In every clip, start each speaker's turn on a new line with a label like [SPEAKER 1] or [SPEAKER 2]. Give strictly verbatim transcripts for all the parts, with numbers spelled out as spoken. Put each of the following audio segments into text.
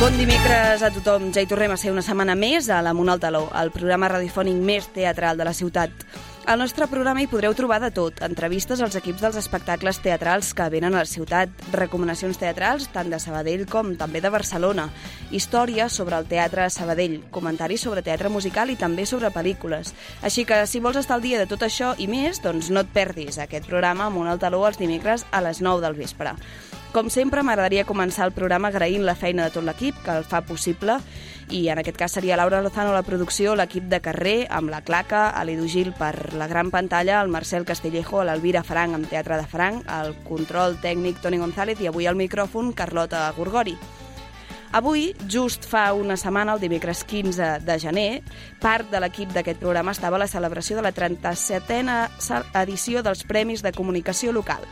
[SPEAKER 1] Bon dimecres a tothom. Ja hi tornem a ser una setmana més a l'Amunt al Taló, el programa radiofònic més teatral de la ciutat. Al nostre programa hi podreu trobar de tot, entrevistes als equips dels espectacles teatrals que venen a la ciutat, recomanacions teatrals tant de Sabadell com també de Barcelona, històries sobre el teatre a Sabadell, comentaris sobre teatre musical i també sobre pel·lícules. Així que si vols estar al dia de tot això i més, doncs no et perdis aquest programa Amunt al Taló els dimecres a les nou del vespre. Com sempre, m'agradaria començar el programa agraint la feina de tot l'equip que el fa possible, i en aquest cas seria Laura Lozano a la producció, l'equip de carrer amb la Claca, a l'Edu Gil per la gran pantalla, el Marcel Castillejo, a l'Elvira Frank amb Teatre de Frank, el control tècnic Toni González i avui al micròfon Carlota Gorgori. Avui, just fa una setmana, el dimecres quinze de gener, part de l'equip d'aquest programa estava a la celebració de la trenta-setena edició dels Premis de Comunicació Local.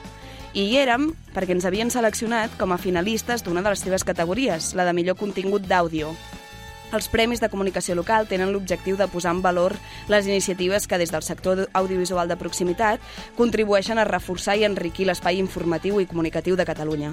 [SPEAKER 1] I hi érem perquè ens havien seleccionat com a finalistes d'una de les seves categories, la de millor contingut d'àudio. Els Premis de Comunicació Local tenen l'objectiu de posar en valor les iniciatives que des del sector audiovisual de proximitat contribueixen a reforçar i enriquir l'espai informatiu i comunicatiu de Catalunya.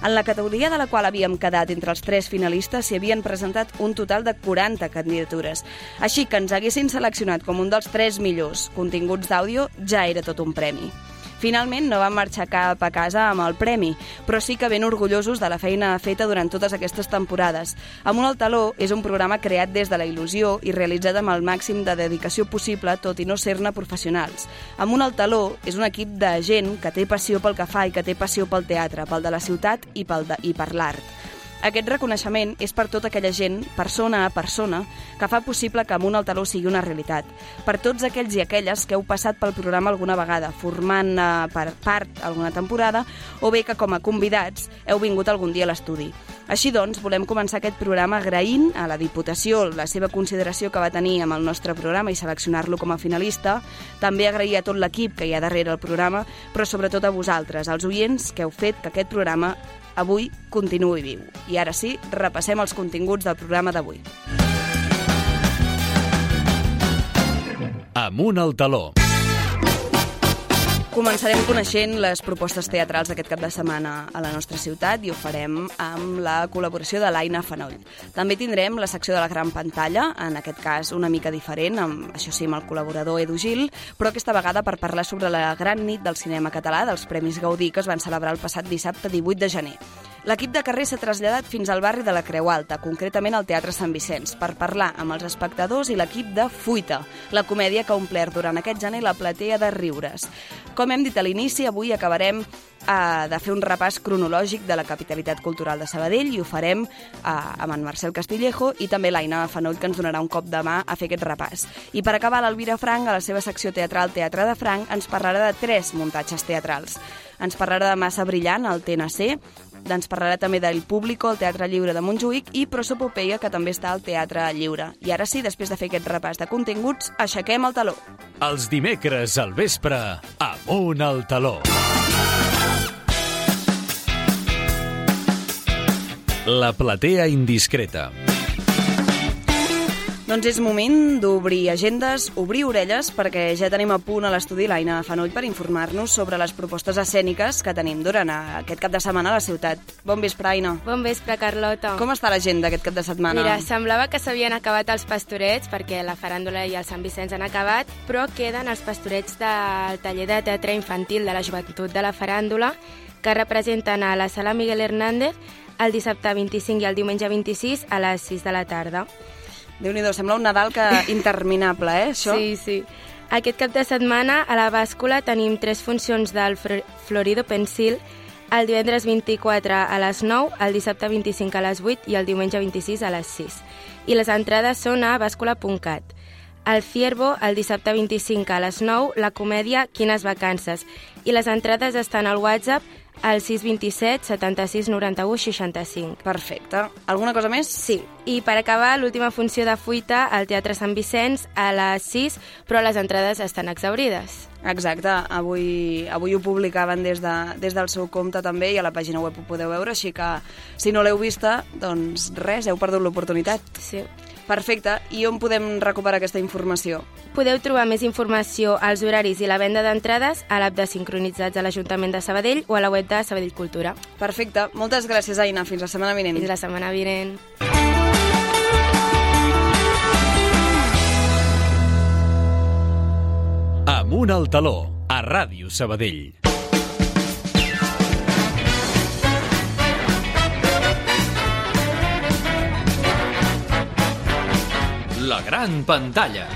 [SPEAKER 1] En la categoria de la qual havíem quedat entre els tres finalistes s'hi havien presentat un total de quaranta candidatures. Així que ens haguessin seleccionat com un dels tres millors continguts d'àudio ja era tot un premi. Finalment no vam marxar cap a casa amb el premi, però sí que ben orgullosos de la feina feta durant totes aquestes temporades. Amunt al Taló és un programa creat des de la il·lusió i realitzat amb el màxim de dedicació possible, tot i no ser-ne professionals. Amunt al Taló és un equip de gent que té passió pel que fa i que té passió pel teatre, pel de la ciutat i, pel de, i per l'art. Aquest reconeixement és per tota aquella gent, persona a persona, que fa possible que Amunt al Taló sigui una realitat. Per tots aquells i aquelles que heu passat pel programa alguna vegada, formant eh, per part alguna temporada, o bé que com a convidats heu vingut algun dia a l'estudi. Així doncs, volem començar aquest programa agraint a la Diputació la seva consideració que va tenir amb el nostre programa i seleccionar-lo com a finalista, també agrair a tot l'equip que hi ha darrere el programa, però sobretot a vosaltres, als oients que heu fet que aquest programa avui continuï viu. I ara sí, repassem els continguts del programa d'avui.
[SPEAKER 2] Amunt al Taló.
[SPEAKER 1] Començarem coneixent les propostes teatrals d'aquest cap de setmana a la nostra ciutat i ho farem amb la col·laboració de l'Aina Fanoll. També tindrem la secció de la gran pantalla, en aquest cas una mica diferent, amb, això sí, amb el col·laborador Edu Gil, però aquesta vegada per parlar sobre la gran nit del cinema català dels Premis Gaudí que es van celebrar el passat dissabte divuit de gener. L'equip de carrer s'ha traslladat fins al barri de la Creu Alta, concretament al Teatre Sant Vicenç, per parlar amb els espectadors i l'equip de Fuita, la comèdia que ha omplert durant aquest gener la platea de riures. Com hem dit a l'inici, avui acabarem eh, de fer un repàs cronològic de la capitalitat cultural de Sabadell i ho farem eh, amb en Marcel Castillejo i també l'Aina Fanoll, que ens donarà un cop de mà a fer aquest repàs. I per acabar, l'Elvira Frank, a la seva secció teatral Teatre de Frank, ens parlarà de tres muntatges teatrals. Ens parlarà de Massa Brillant, al T N C, ens parlarà també del Público, al Teatre Lliure de Montjuïc, i Prosopopeia, que també està al Teatre Lliure. I ara sí, després de fer aquest repàs de continguts, aixequem el taló.
[SPEAKER 2] Els dimecres al vespre, Amunt al Taló. La platea indiscreta.
[SPEAKER 1] Doncs és moment d'obrir agendes, obrir orelles, perquè ja tenim a punt a l'estudi l'Aina Fanoll per informar-nos sobre les propostes escèniques que tenim durant aquest cap de setmana a la ciutat. Bon vespre, Aina.
[SPEAKER 3] Bon vespre, Carlota.
[SPEAKER 1] Com està l'agenda aquest cap de setmana?
[SPEAKER 3] Mira, semblava que s'havien acabat els pastorets, perquè la faràndula i el Sant Vicenç han acabat, però queden els pastorets del taller de teatre infantil de la joventut de la faràndula, que representen a la sala Miguel Hernández el dissabte vint-i-cinc i el diumenge vint-i-sis a les sis de la tarda.
[SPEAKER 1] Déu-n'hi-do, sembla un Nadal que interminable, eh, això?
[SPEAKER 3] Sí, sí. Aquest cap de setmana a la bàscula tenim tres funcions del Florido Pensil, el divendres vint-i-quatre a les nou, el dissabte vint-i-cinc a les vuit i el diumenge vint-i-sis a les sis. I les entrades són a bàscula punt cat. Al Ciervo, el dissabte vint-i-cinc a les nou, la comèdia Quines vacances. I les entrades estan al WhatsApp al sis dos set, setanta-sis, noranta-u, seixanta-cinc.
[SPEAKER 1] Perfecte. Alguna cosa més?
[SPEAKER 3] Sí. I per acabar, l'última funció de Fuita al Teatre Sant Vicenç a les sis, però les entrades estan exhaurides.
[SPEAKER 1] Exacte. Avui, avui ho publicaven des, de, des del seu compte també i a la pàgina web ho podeu veure, així que si no l'heu vista, doncs res, heu perdut l'oportunitat.
[SPEAKER 3] Sí.
[SPEAKER 1] Perfecte. I on podem recuperar aquesta informació?
[SPEAKER 3] Podeu trobar més informació als horaris i la venda d'entrades a l'app de Sincronitzats a l'Ajuntament de Sabadell o a la web de Sabadell Cultura.
[SPEAKER 1] Perfecte. Moltes gràcies, Aina. Fins la setmana vinent.
[SPEAKER 3] Fins la setmana vinent.
[SPEAKER 2] Amunt al taló, a Ràdio Sabadell. La gran pantalla.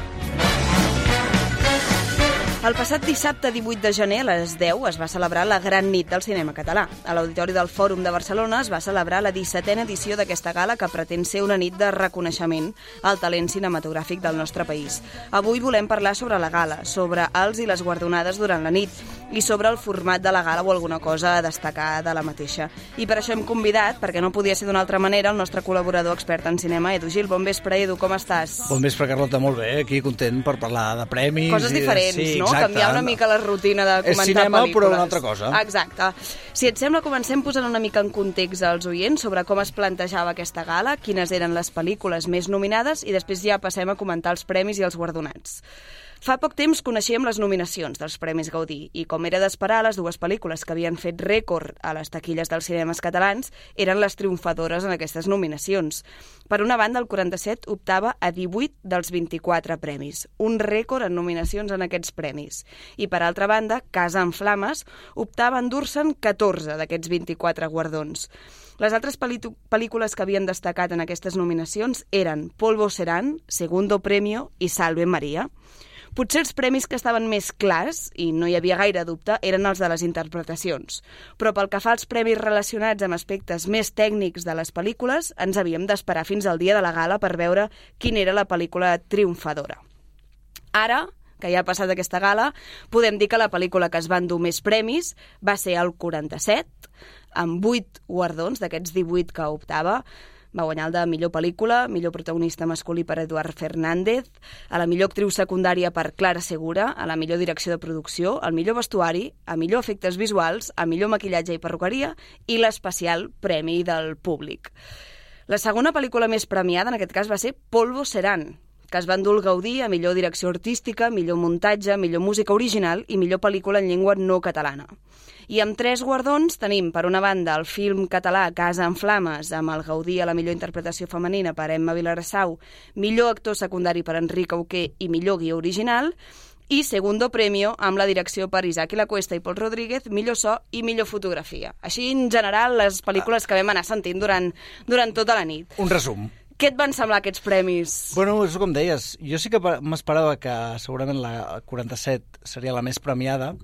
[SPEAKER 1] El passat dissabte divuit de gener a les deu es va celebrar la Gran Nit del Cinema Català. A l'Auditori del Fòrum de Barcelona es va celebrar la dissetena edició d'aquesta gala que pretén ser una nit de reconeixement al talent cinematogràfic del nostre país. Avui volem parlar sobre la gala, sobre els i les guardonades durant la nit i sobre el format de la gala o alguna cosa a destacar de la mateixa. I per això hem convidat, perquè no podia ser d'una altra manera, el nostre col·laborador expert en cinema, Edu Gil. Bon vespre, Edu, com estàs?
[SPEAKER 4] Bon vespre, Carlota, molt bé. Aquí content per parlar de premis.
[SPEAKER 1] Coses diferents,
[SPEAKER 4] i de... sí,
[SPEAKER 1] no?
[SPEAKER 4] Exacte.
[SPEAKER 1] Canviar una mica la rutina de comentar
[SPEAKER 4] és cinema,
[SPEAKER 1] pel·lícules.
[SPEAKER 4] Però una altra cosa.
[SPEAKER 1] Exacte. Si et sembla, comencem posant una mica en context als oients sobre com es plantejava aquesta gala, quines eren les pel·lícules més nominades i després ja passem a comentar els premis i els guardonats. Fa poc temps coneixíem les nominacions dels Premis Gaudí i, com era d'esperar, les dues pel·lícules que havien fet rècord a les taquilles dels cinemes catalans eren les triomfadores en aquestes nominacions. Per una banda, el quaranta-set optava a divuit dels vint-i-quatre premis, un rècord en nominacions en aquests premis. I, per altra banda, Casa en Flames optava a endur-se'n catorze d'aquests vint-i-quatre guardons. Les altres pel·lícules que havien destacat en aquestes nominacions eren Polvo Serán, Segundo Premio i Salve María. Potser els premis que estaven més clars, i no hi havia gaire dubte, eren els de les interpretacions. Però pel que fa als premis relacionats amb aspectes més tècnics de les pel·lícules, ens havíem d'esperar fins al dia de la gala per veure quina era la pel·lícula triomfadora. Ara, que ja ha passat aquesta gala, podem dir que la pel·lícula que es va endur més premis va ser el quaranta-set, amb vuit guardons d'aquests divuit que optava. Va guanyar el de millor pel·lícula, millor protagonista masculí per Eduard Fernández, a la millor actriu secundària per Clara Segura, a la millor direcció de producció, al millor vestuari, a millor efectes visuals, a millor maquillatge i perruqueria i l'especial premi del públic. La segona pel·lícula més premiada en aquest cas va ser Polvo Serán, que es va endur el Gaudí a millor direcció artística, millor muntatge, millor música original i millor pel·lícula en llengua no catalana. I amb tres guardons tenim, per una banda, el film català Casa en Flames, amb el Gaudí a la millor interpretació femenina per Emma Vilarassau, millor actor secundari per Enric Auqué i millor guió original, i Segundo Premio amb la direcció per Isaac i la Cuesta i Pol Rodríguez, millor so i millor fotografia. Així, en general, les pel·lícules que vam anar sentint durant, durant tota la nit.
[SPEAKER 4] Un resum.
[SPEAKER 1] Què et van semblar aquests premis?
[SPEAKER 4] Bueno, és com deies, jo sí que m'esperava que segurament la quaranta-set seria la més premiada,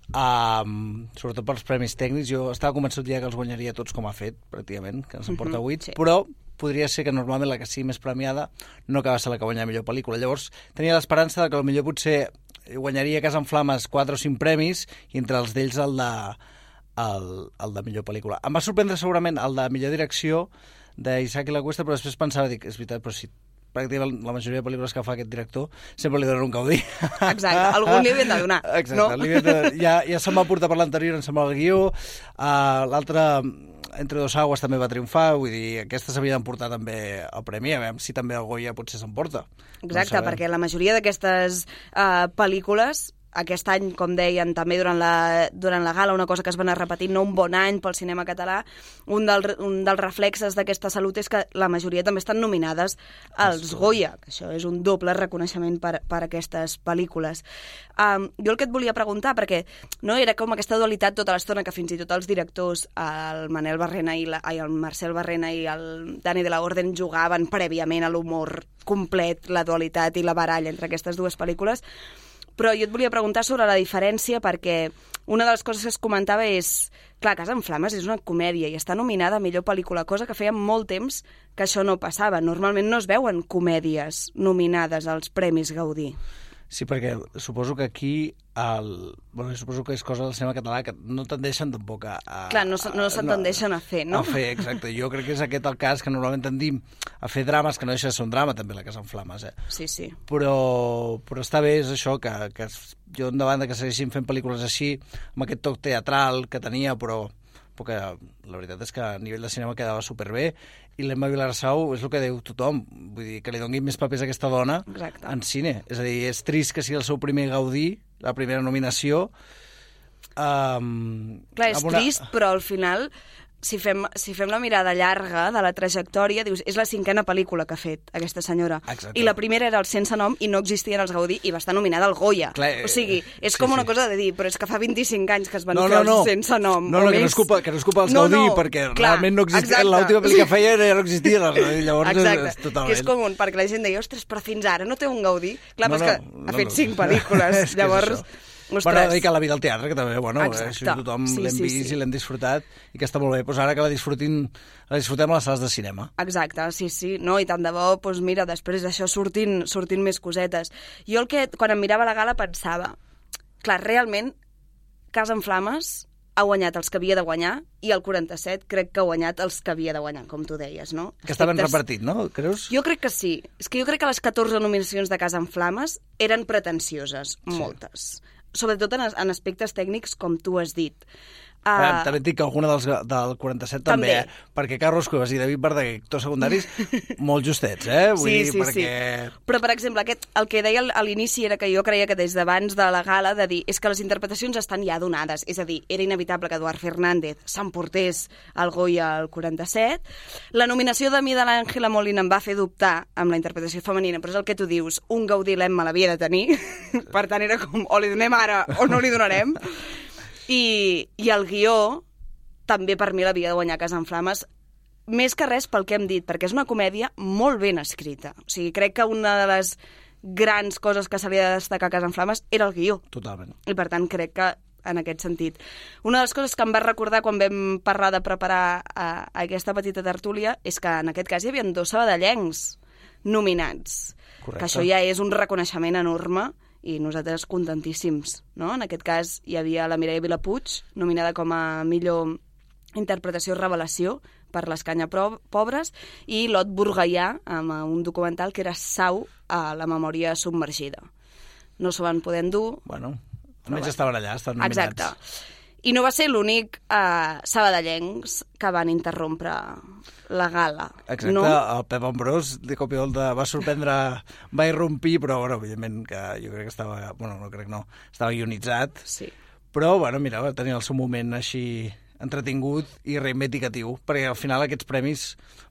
[SPEAKER 4] Um, sobretot pels premis tècnics. Jo estava convençut ja que els guanyaria tots com ha fet, pràcticament, que ens en porta vuit, uh-huh, sí. Però podria ser que normalment la que sigui més premiada no acaba ser la que guanya millor pel·lícula. Llavors tenia l'esperança que potser potser guanyaria Casa en Flames quatre o cinc premis i entre els d'ells el de, el, el de millor pel·lícula. Em va sorprendre segurament el de millor direcció d'Isaac i la Cuesta, però després pensava, dic, és veritat, però si pràcticament la majoria de pel·lícules que fa aquest director sempre li donen un Gaudí.
[SPEAKER 1] Exacte, algun li havien de donar.
[SPEAKER 4] Exacte,
[SPEAKER 1] no?
[SPEAKER 4] li havien de... ja, ja se'm va portar per l'anterior, em sembla, el guió. Uh, L'altre, Entre dos aguas, també va triomfar, vull dir, aquesta s'havia d'emportar també el premi, a veure si també el Goya potser s'emporta.
[SPEAKER 1] Exacte, no perquè la majoria d'aquestes uh, pel·lícules aquest any, com deien, també durant la, durant la gala, una cosa que es va anar repetint, no un bon any pel cinema català, un, del, un dels reflexes d'aquesta salut és que la majoria també estan nominades als Goya, que això és un doble reconeixement per, per aquestes pel·lícules. Um, jo el que et volia preguntar, perquè no era com aquesta dualitat tota l'estona que fins i tot els directors, el Manel Barrena i la, ai, el Marcel Barrena i el Dani de la Orden jugaven prèviament a l'humor complet, la dualitat i la baralla entre aquestes dues pel·lícules. Però jo et volia preguntar sobre la diferència perquè una de les coses que es comentava és, clar, Casa en Flames és una comèdia i està nominada a millor pel·lícula, cosa que feia molt temps que això no passava. Normalment no es veuen comèdies nominades als Premis Gaudí.
[SPEAKER 4] Sí, perquè suposo que aquí, el... bueno, suposo que és cosa del cinema català que no tendeixen tampoc a... a
[SPEAKER 1] Clar, no, no se'n tendeixen no, a fer, no?
[SPEAKER 4] A fer, exacte. Jo crec que és aquest el cas que normalment tendim a fer drames, que no deixa de ser un drama, també, la Casa en Flames, eh?
[SPEAKER 1] Sí, sí.
[SPEAKER 4] Però, però està bé, és això, que, que jo endavant de que segueixin fent pel·lícules així, amb aquest toc teatral que tenia, però perquè la veritat és que a nivell de cinema quedava superbé, i l'Emma Vilarsau és el que diu tothom, vull dir, que li doni més papers a aquesta dona
[SPEAKER 1] Exacte.
[SPEAKER 4] en cine. És a dir, és trist que sigui el seu primer Gaudí, la primera nominació. Um,
[SPEAKER 1] Clar, és
[SPEAKER 4] una...
[SPEAKER 1] trist, però al final, si fem, si fem la mirada llarga de la trajectòria, dius, és la cinquena pel·lícula que ha fet aquesta senyora.
[SPEAKER 4] Exacte.
[SPEAKER 1] I la primera era el Sense nom i no existien els Gaudí i va estar nominada al Goya.
[SPEAKER 4] Clar,
[SPEAKER 1] o sigui, és
[SPEAKER 4] sí,
[SPEAKER 1] com una
[SPEAKER 4] sí.
[SPEAKER 1] cosa de dir, però és que fa vint-i-cinc anys que es van
[SPEAKER 4] no,
[SPEAKER 1] fer
[SPEAKER 4] no, no.
[SPEAKER 1] els Sense nom.
[SPEAKER 4] No, no,
[SPEAKER 1] o
[SPEAKER 4] que
[SPEAKER 1] més...
[SPEAKER 4] no és culpa, que no és culpa dels
[SPEAKER 1] no,
[SPEAKER 4] Gaudí,
[SPEAKER 1] no,
[SPEAKER 4] perquè
[SPEAKER 1] clar,
[SPEAKER 4] realment no existia.
[SPEAKER 1] exacte.
[SPEAKER 4] L'última pel·li que feia ja no existia. Llavors,
[SPEAKER 1] exacte,
[SPEAKER 4] és, totalment.
[SPEAKER 1] que és com un, perquè la gent deia, ostres, però fins ara no té un Gaudí. Clar,
[SPEAKER 4] No,
[SPEAKER 1] però és que
[SPEAKER 4] no,
[SPEAKER 1] ha
[SPEAKER 4] no,
[SPEAKER 1] fet
[SPEAKER 4] no.
[SPEAKER 1] cinc pel·lícules,
[SPEAKER 4] És que és
[SPEAKER 1] llavors...
[SPEAKER 4] això.
[SPEAKER 1] Ostres.
[SPEAKER 4] Bueno, dedicar la vida al teatre, que també, bueno,
[SPEAKER 1] Exacte.
[SPEAKER 4] això tothom
[SPEAKER 1] Sí,
[SPEAKER 4] l'hem
[SPEAKER 1] sí,
[SPEAKER 4] vist
[SPEAKER 1] sí.
[SPEAKER 4] i l'hem disfrutat, i que està molt bé. Pues ara que la disfrutin, la disfrutem a les sales de cinema.
[SPEAKER 1] Exacte, sí, sí. No, i tant de bo, doncs mira, després d'això sortint, sortint més cosetes. Jo el que, quan em mirava la gala, pensava, clar, realment, Casa en Flames ha guanyat els que havia de guanyar i el quaranta-set crec que ha guanyat els que havia de guanyar, com tu deies, no?
[SPEAKER 4] Que està ben
[SPEAKER 1] Aspectes...
[SPEAKER 4] repartit, no? Creus?
[SPEAKER 1] Jo crec que sí. És que jo crec que les catorze nominacions de Casa en Flames eren pretensioses,
[SPEAKER 4] Sí.
[SPEAKER 1] moltes. Sobretot en, en aspectes tècnics, com tu has dit.
[SPEAKER 4] Uh,
[SPEAKER 1] Uh,
[SPEAKER 4] també et dic que alguna dels, del quaranta-set també,
[SPEAKER 1] També.
[SPEAKER 4] eh? Perquè Carlos Cuevas i David Verdaguer, actors secundaris, molt justets, eh? Vull
[SPEAKER 1] sí,
[SPEAKER 4] dir,
[SPEAKER 1] sí,
[SPEAKER 4] perquè...
[SPEAKER 1] sí. Però, per exemple, aquest, el que deia al- a l'inici era que jo creia que des d'abans de la gala de dir és que les interpretacions estan ja donades. És a dir, era inevitable que Eduard Fernández s'emportés el Goya al quaranta-set. La nominació de mi de l'Àngela Molina em va fer dubtar amb la interpretació femenina, però és el que tu dius, un Gaudí l'Emma l'havia de tenir. Per tant, era com, o li donem ara o no li donarem. I, i el guió també per mi l'havia de guanyar Casa en Flames, més que res pel que hem dit, perquè és una comèdia molt ben escrita. O sigui, crec que una de les grans coses que s'havia de destacar a Casa en Flames era el guió.
[SPEAKER 4] Totalment.
[SPEAKER 1] I per tant crec que en aquest sentit. Una de les coses que em va recordar quan vam parlar de preparar uh, aquesta petita tertúlia és que en aquest cas hi havia dos sabadellencs nominats.
[SPEAKER 4] Correcte.
[SPEAKER 1] Que això ja és un reconeixement enorme i nosaltres contentíssims, no? En aquest cas hi havia la Mireia Vilapuig, nominada com a millor interpretació revelació per l'Escanya Pobres, i Lot Burgaià, amb un documental que era Sau a la memòria submergida. No s'ho van poder endur.
[SPEAKER 4] Bueno, almenys estaven allà, estaven nominats.
[SPEAKER 1] Exacte. I no va ser l'únic eh, sabadellencs que van interrompre la gala.
[SPEAKER 4] Exacte,
[SPEAKER 1] no?
[SPEAKER 4] el Pep Ambrós de cop i volta va sorprendre, va irrompir, però bueno, evidentment que jo crec que estava, bueno, no crec no, estava ionitzat,
[SPEAKER 1] Sí.
[SPEAKER 4] però bueno, mira, va tenir el seu moment així entretingut i reivindicatiu, perquè al final aquests premis,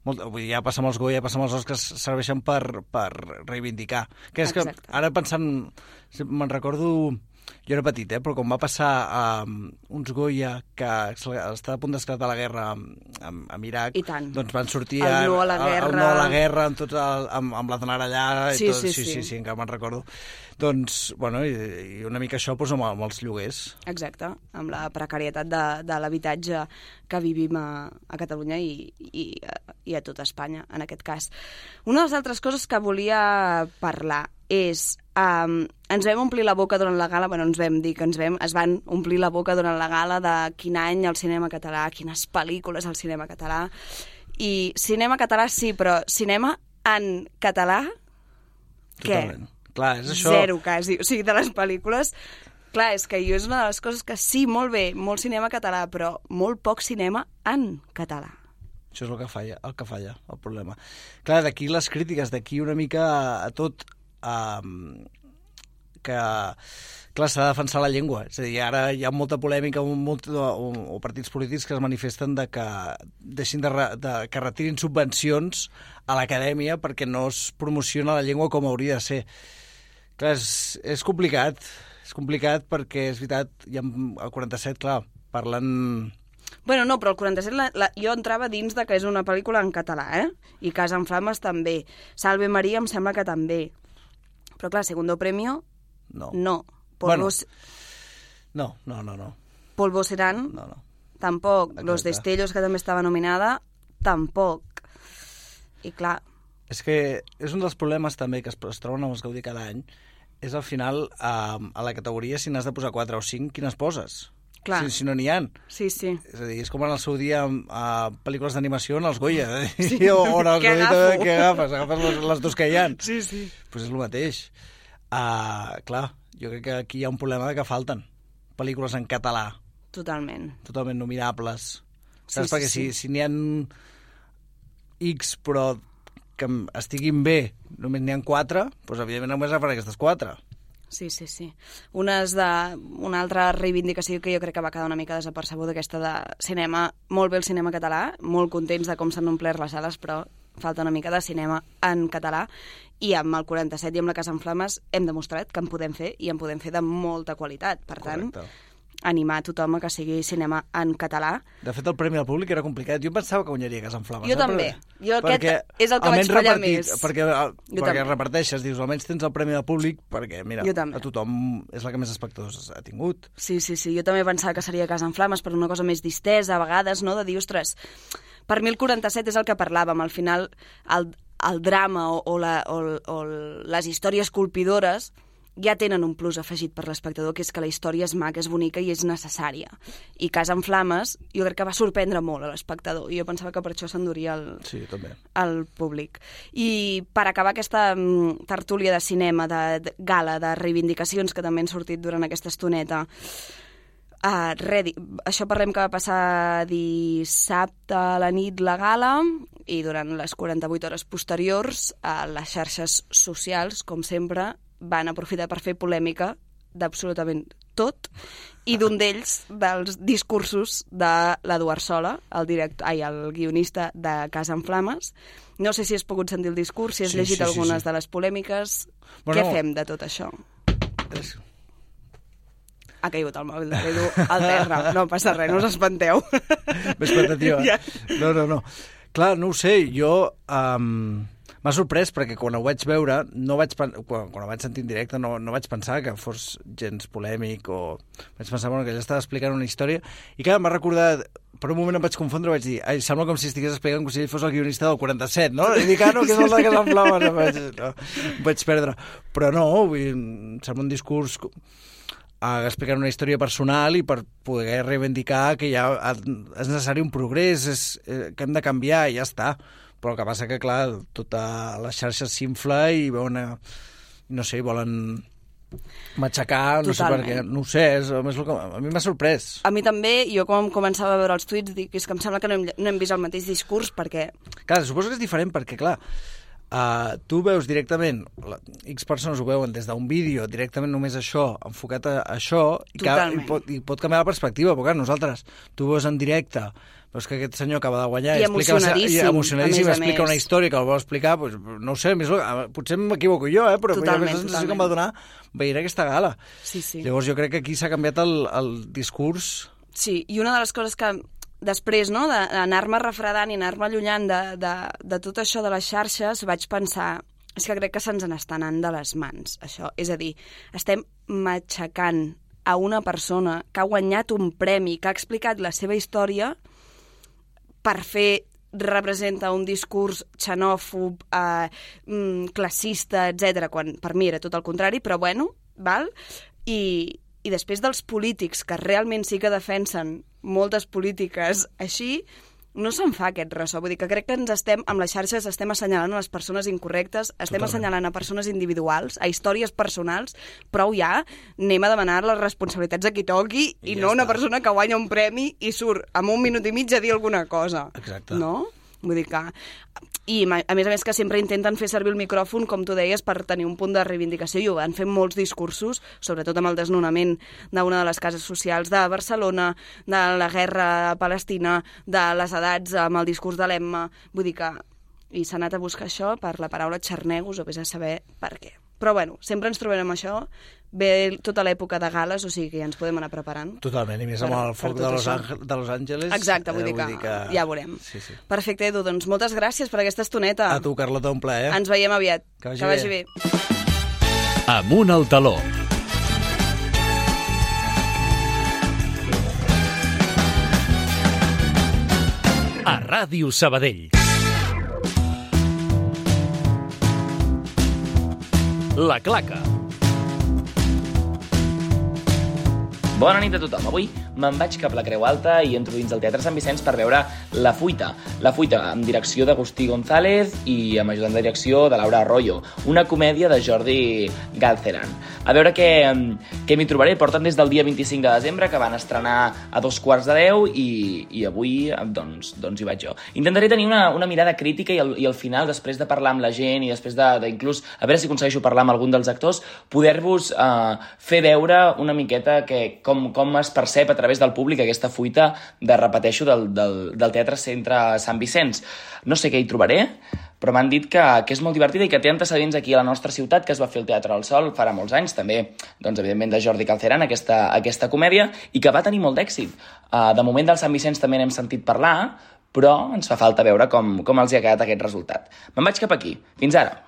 [SPEAKER 4] molt, vull dir, ja passa amb els Goya, ja passa amb els Oscars, serveixen per, per reivindicar. Que és
[SPEAKER 1] Exacte.
[SPEAKER 4] que ara pensant, me'n recordo... Jo era petit, eh? Però quan va passar um, uns Goya que estava a punt d'esclatar la guerra amb, amb, amb Iraq,
[SPEAKER 1] I tant.
[SPEAKER 4] doncs van sortir
[SPEAKER 1] El no a la
[SPEAKER 4] el, el
[SPEAKER 1] guerra.
[SPEAKER 4] no a la guerra amb, tot el, amb, amb l'Aznar allà i
[SPEAKER 1] Sí,
[SPEAKER 4] tot,
[SPEAKER 1] sí,
[SPEAKER 4] sí,
[SPEAKER 1] sí.
[SPEAKER 4] sí, sí, encara me'n recordo. Doncs, bueno, i, i una mica això doncs, amb, amb els lloguers.
[SPEAKER 1] Exacte, amb la precarietat de, de l'habitatge que vivim a, a Catalunya i, i, i a tot Espanya, en aquest cas. Una de les altres coses que volia parlar és... Um, ens vam omplir la boca durant la gala, bueno, ens vam dir que ens vam, es van omplir la boca durant la gala de quin any el cinema català, quines pel·lícules al cinema català, i cinema català sí, però cinema en català, què?
[SPEAKER 4] Totalment. Clar, és això...
[SPEAKER 1] Zero, quasi. O sigui, de les pel·lícules... Clar, és que jo és una de les coses que sí, molt bé, molt cinema català, però molt poc cinema en català.
[SPEAKER 4] Això és el que falla, el que falla, el problema. Clar, d'aquí les crítiques, d'aquí una mica a tot... Um, que clar, s'ha de defensar la llengua, és a dir, ara hi ha molta polèmica o, molt, o, o partits polítics que es manifesten de que deixin de, re, de que retirin subvencions a l'acadèmia perquè no es promociona la llengua com hauria de ser. Clar, és, és complicat, és complicat perquè és veritat, hi ha el quaranta-set, clar, parlen...
[SPEAKER 1] Bueno, no, però el quaranta-set la, la, jo entrava dins de que és una pel·lícula en català, eh? I Casa en Flames també. Salve Maria em sembla que també. Però clar, Segundo Premio,
[SPEAKER 4] No.
[SPEAKER 1] no.
[SPEAKER 4] Bueno,
[SPEAKER 1] Polvos,
[SPEAKER 4] no, no, no, no.
[SPEAKER 1] Polvo Serán,
[SPEAKER 4] no, no.
[SPEAKER 1] tampoc.
[SPEAKER 4] Exacte.
[SPEAKER 1] Los Destellos, que també estava nominada, tampoc. I clar...
[SPEAKER 4] És que és un dels problemes també que es, es troben amb els Gaudí cada any, és al final a, a la categoria si n'has de posar quatre o cinc, quines poses?
[SPEAKER 1] Clar.
[SPEAKER 4] Si, si no n'hi ha.
[SPEAKER 1] Sí, sí.
[SPEAKER 4] És a dir, és com en el seu dia a pel·lícules d'animació en els Goya. Sí. O, o en els
[SPEAKER 1] Què
[SPEAKER 4] Goya,
[SPEAKER 1] agafo?
[SPEAKER 4] què agafes? Agafes les, les dos que hi ha.
[SPEAKER 1] Sí, sí.
[SPEAKER 4] Pues és el mateix. Uh, clar, jo crec que aquí hi ha un problema de que falten pel·lícules en català,
[SPEAKER 1] Totalment.
[SPEAKER 4] totalment nominables. Saps?
[SPEAKER 1] Sí,
[SPEAKER 4] Perquè
[SPEAKER 1] sí,
[SPEAKER 4] si, si n'hi ha X, però que estiguin bé, només n'hi ha quatre, doncs evidentment només agafaré aquestes quatre.
[SPEAKER 1] Sí, sí, sí. Una, és de, una altra reivindicació que jo crec que va quedar una mica desapercebuda, aquesta de cinema, molt bé el cinema català, molt contents de com s'han omplert les sales, però falta una mica de cinema en català, i amb el quaranta-set i amb la Casa en Flames hem demostrat que en podem fer, i en podem fer de molta qualitat. Per tant,
[SPEAKER 4] Correcte.
[SPEAKER 1] animar a tothom a que sigui cinema en català.
[SPEAKER 4] De fet, el Premi al Públic era complicat. Jo pensava que guanyaria Casa en Flames.
[SPEAKER 1] Jo
[SPEAKER 4] eh?
[SPEAKER 1] també. Jo aquest
[SPEAKER 4] perquè
[SPEAKER 1] és el que vaig fallar més.
[SPEAKER 4] Perquè,
[SPEAKER 1] Jo
[SPEAKER 4] perquè
[SPEAKER 1] també.
[SPEAKER 4] reparteixes, dius, almenys tens el Premi al Públic, perquè, mira,
[SPEAKER 1] Jo també.
[SPEAKER 4] a tothom és la que més espectadors ha tingut.
[SPEAKER 1] Sí, sí, sí. Jo també pensava que seria Casa en Flames per una cosa més distesa, a vegades, no?, de dir, ostres, per mi el quaranta-set és el que parlàvem. Al final, el, el drama o, o, la, o, o les històries colpidores ja tenen un plus afegit per l'espectador, que és que la història és maca, és bonica i és necessària. I Casa en Flames jo crec que va sorprendre molt a l'espectador, i jo pensava que per això s'enduria el,
[SPEAKER 4] sí, també.
[SPEAKER 1] el públic. I per acabar aquesta mm, tertúlia de cinema, de, de gala, de reivindicacions que també han sortit durant aquesta estoneta, Uh, re, això parlem que va passar dissabte a la nit la gala, i durant les quaranta-vuit hores posteriors a les xarxes socials, com sempre, van aprofitar per fer polèmica d'absolutament tot, i d'un d'ells, dels discursos de l'Eduard Sola, el, director, ai, el guionista de Casa en Flames. No sé si has pogut sentir el discurs, si has
[SPEAKER 4] sí,
[SPEAKER 1] llegit
[SPEAKER 4] sí,
[SPEAKER 1] algunes
[SPEAKER 4] sí, sí.
[SPEAKER 1] de les polèmiques.
[SPEAKER 4] Bueno,
[SPEAKER 1] Què fem de tot això?
[SPEAKER 4] És...
[SPEAKER 1] Ha caigut el mòbil de l'Edu al terra. No passa res, no us espanteu.
[SPEAKER 4] M'espantativa.
[SPEAKER 1] Ja.
[SPEAKER 4] No, no, no. Clar, no ho sé, jo... Um, m'ha sorprès perquè quan ho vaig veure, no vaig pen... quan, quan ho vaig sentir en directe, no, no vaig pensar que fos gens polèmic o... Vaig pensar bueno, que ell estava explicant una història i clar, m'ha recordat... Per un moment em vaig confondre, vaig dir, ai, sembla com si estigués explicant com si ell fos el guionista del quaranta-set, no? I dic, ah, no, que és el de Casa en Flames. Em vaig, no, em vaig perdre. Però no, vull dir, em sembla un discurs... explicant una història personal i per poder reivindicar que ja és necessari un progrés, és, eh, que hem de canviar i ja està. Però el que passa que, clar, tota les xarxes s'infla i veuen, no sé, volen matxacar, no
[SPEAKER 1] Totalment.
[SPEAKER 4] sé per què, no ho sé, és, a, més, a mi m'ha sorprès.
[SPEAKER 1] A mi també, jo com començava a veure els tuits, dic, és que em sembla que no hem, no hem vist el mateix discurs, perquè...
[SPEAKER 4] Clar, suposo que és diferent perquè, clar, Uh, tu veus directament, la, X persones ho veuen des d'un vídeo, directament només això, enfocat a, a això, i, que, i, pot, i pot canviar la perspectiva, però clar, nosaltres, tu veus en directe, veus que aquest senyor acaba de guanyar,
[SPEAKER 1] I
[SPEAKER 4] explica
[SPEAKER 1] emocionadíssim,
[SPEAKER 4] i emocionadíssim,
[SPEAKER 1] a més a
[SPEAKER 4] explica
[SPEAKER 1] més.
[SPEAKER 4] una història que el vol explicar, doncs, no ho sé, més, potser m'equivoco jo, eh, però
[SPEAKER 1] Totalment,
[SPEAKER 4] la sensació
[SPEAKER 1] totalment.
[SPEAKER 4] que em va donar veient aquesta gala.
[SPEAKER 1] Sí, sí.
[SPEAKER 4] Llavors jo crec que aquí s'ha canviat el, el discurs.
[SPEAKER 1] Sí, i una de les coses que després, no, d'anar-me refredant i anar-me allunyant de, de, de tot això de les xarxes, vaig pensar, és que crec que se'ns n'està anant de les mans, això. És a dir, estem matxacant a una persona que ha guanyat un premi, que ha explicat la seva història per fer, representa un discurs xenòfob, eh, classista, etcètera, quan per mi era tot el contrari, però bueno, val? I, i després dels polítics que realment sí que defensen moltes polítiques així, no se'n fa aquest ressò. Vull dir que crec que ens estem, amb les xarxes, estem assenyalant a les persones incorrectes, estem
[SPEAKER 4] Totalment.
[SPEAKER 1] assenyalant a persones individuals, a històries personals, prou ja, anem a demanar les responsabilitats a qui toqui i,
[SPEAKER 4] I
[SPEAKER 1] no
[SPEAKER 4] ja
[SPEAKER 1] una
[SPEAKER 4] està.
[SPEAKER 1] persona que guanya un premi i surt amb un minut i mig a dir alguna cosa.
[SPEAKER 4] Exacte.
[SPEAKER 1] No? Vull dir que... I, a més a més, que sempre intenten fer servir el micròfon, com tu deies, per tenir un punt de reivindicació, i ho van fer molts discursos, sobretot amb el desnonament d'una de les cases socials de Barcelona, de la guerra a Palestina, de les edats amb el discurs de l'Emma. Vull dir que... I s'ha anat a buscar això per la paraula xarnegos, o vés a saber per què. Però, bueno, sempre ens trobarem això. Ve tota l'època de gales, o sigui que ja ens podem anar preparant.
[SPEAKER 4] Totalment, i més
[SPEAKER 1] Per-
[SPEAKER 4] amb el
[SPEAKER 1] per
[SPEAKER 4] foc
[SPEAKER 1] tot
[SPEAKER 4] de Los,
[SPEAKER 1] això.
[SPEAKER 4] Àngel, de Los Angeles.
[SPEAKER 1] Exacte, vull,
[SPEAKER 4] eh,
[SPEAKER 1] dir, que
[SPEAKER 4] vull dir que...
[SPEAKER 1] ja veurem.
[SPEAKER 4] Sí, sí.
[SPEAKER 1] Perfecte, Edu, doncs moltes gràcies per aquesta estoneta.
[SPEAKER 4] A tu, Carlota, un plaer.
[SPEAKER 1] Ens veiem aviat.
[SPEAKER 4] Que vagi
[SPEAKER 1] que vagi
[SPEAKER 4] bé.
[SPEAKER 1] bé.
[SPEAKER 2] Amunt al taló. A Ràdio Sabadell. La Claca.
[SPEAKER 5] Bona nit a tothom. Avui me'n vaig cap a la Creu Alta i entro dins del Teatre Sant Vicenç per veure La Fuita. La Fuita, amb direcció d'Agustí González i amb ajudant de direcció de Laura Arroyo. Una comèdia de Jordi Galceran. A veure què, què m'hi trobaré. Porten des del dia vint-i-cinc de desembre, que van estrenar a dos quarts de deu, i, i avui doncs, doncs hi vaig jo. Intentaré tenir una, una mirada crítica i al, i al final, després de parlar amb la gent i després de, de inclús, a veure si aconsegueixo parlar amb algun dels actors, poder-vos eh, fer veure una miqueta que, com, com es percep a través del públic aquesta fuita de, repeteixo, del, del, del Teatre Centre Sant Vicenç. No sé què hi trobaré, però m'han dit que, que és molt divertida i que té antecedents aquí a la nostra ciutat, que es va fer el Teatre al Sol farà molts anys, també, doncs, evidentment, de Jordi Galceran, aquesta, aquesta comèdia, i que va tenir molt d'èxit. Uh, de moment del Sant Vicenç també n'hem sentit parlar, però ens fa falta veure com, com els hi ha quedat aquest resultat. Me'n vaig cap aquí. Fins ara.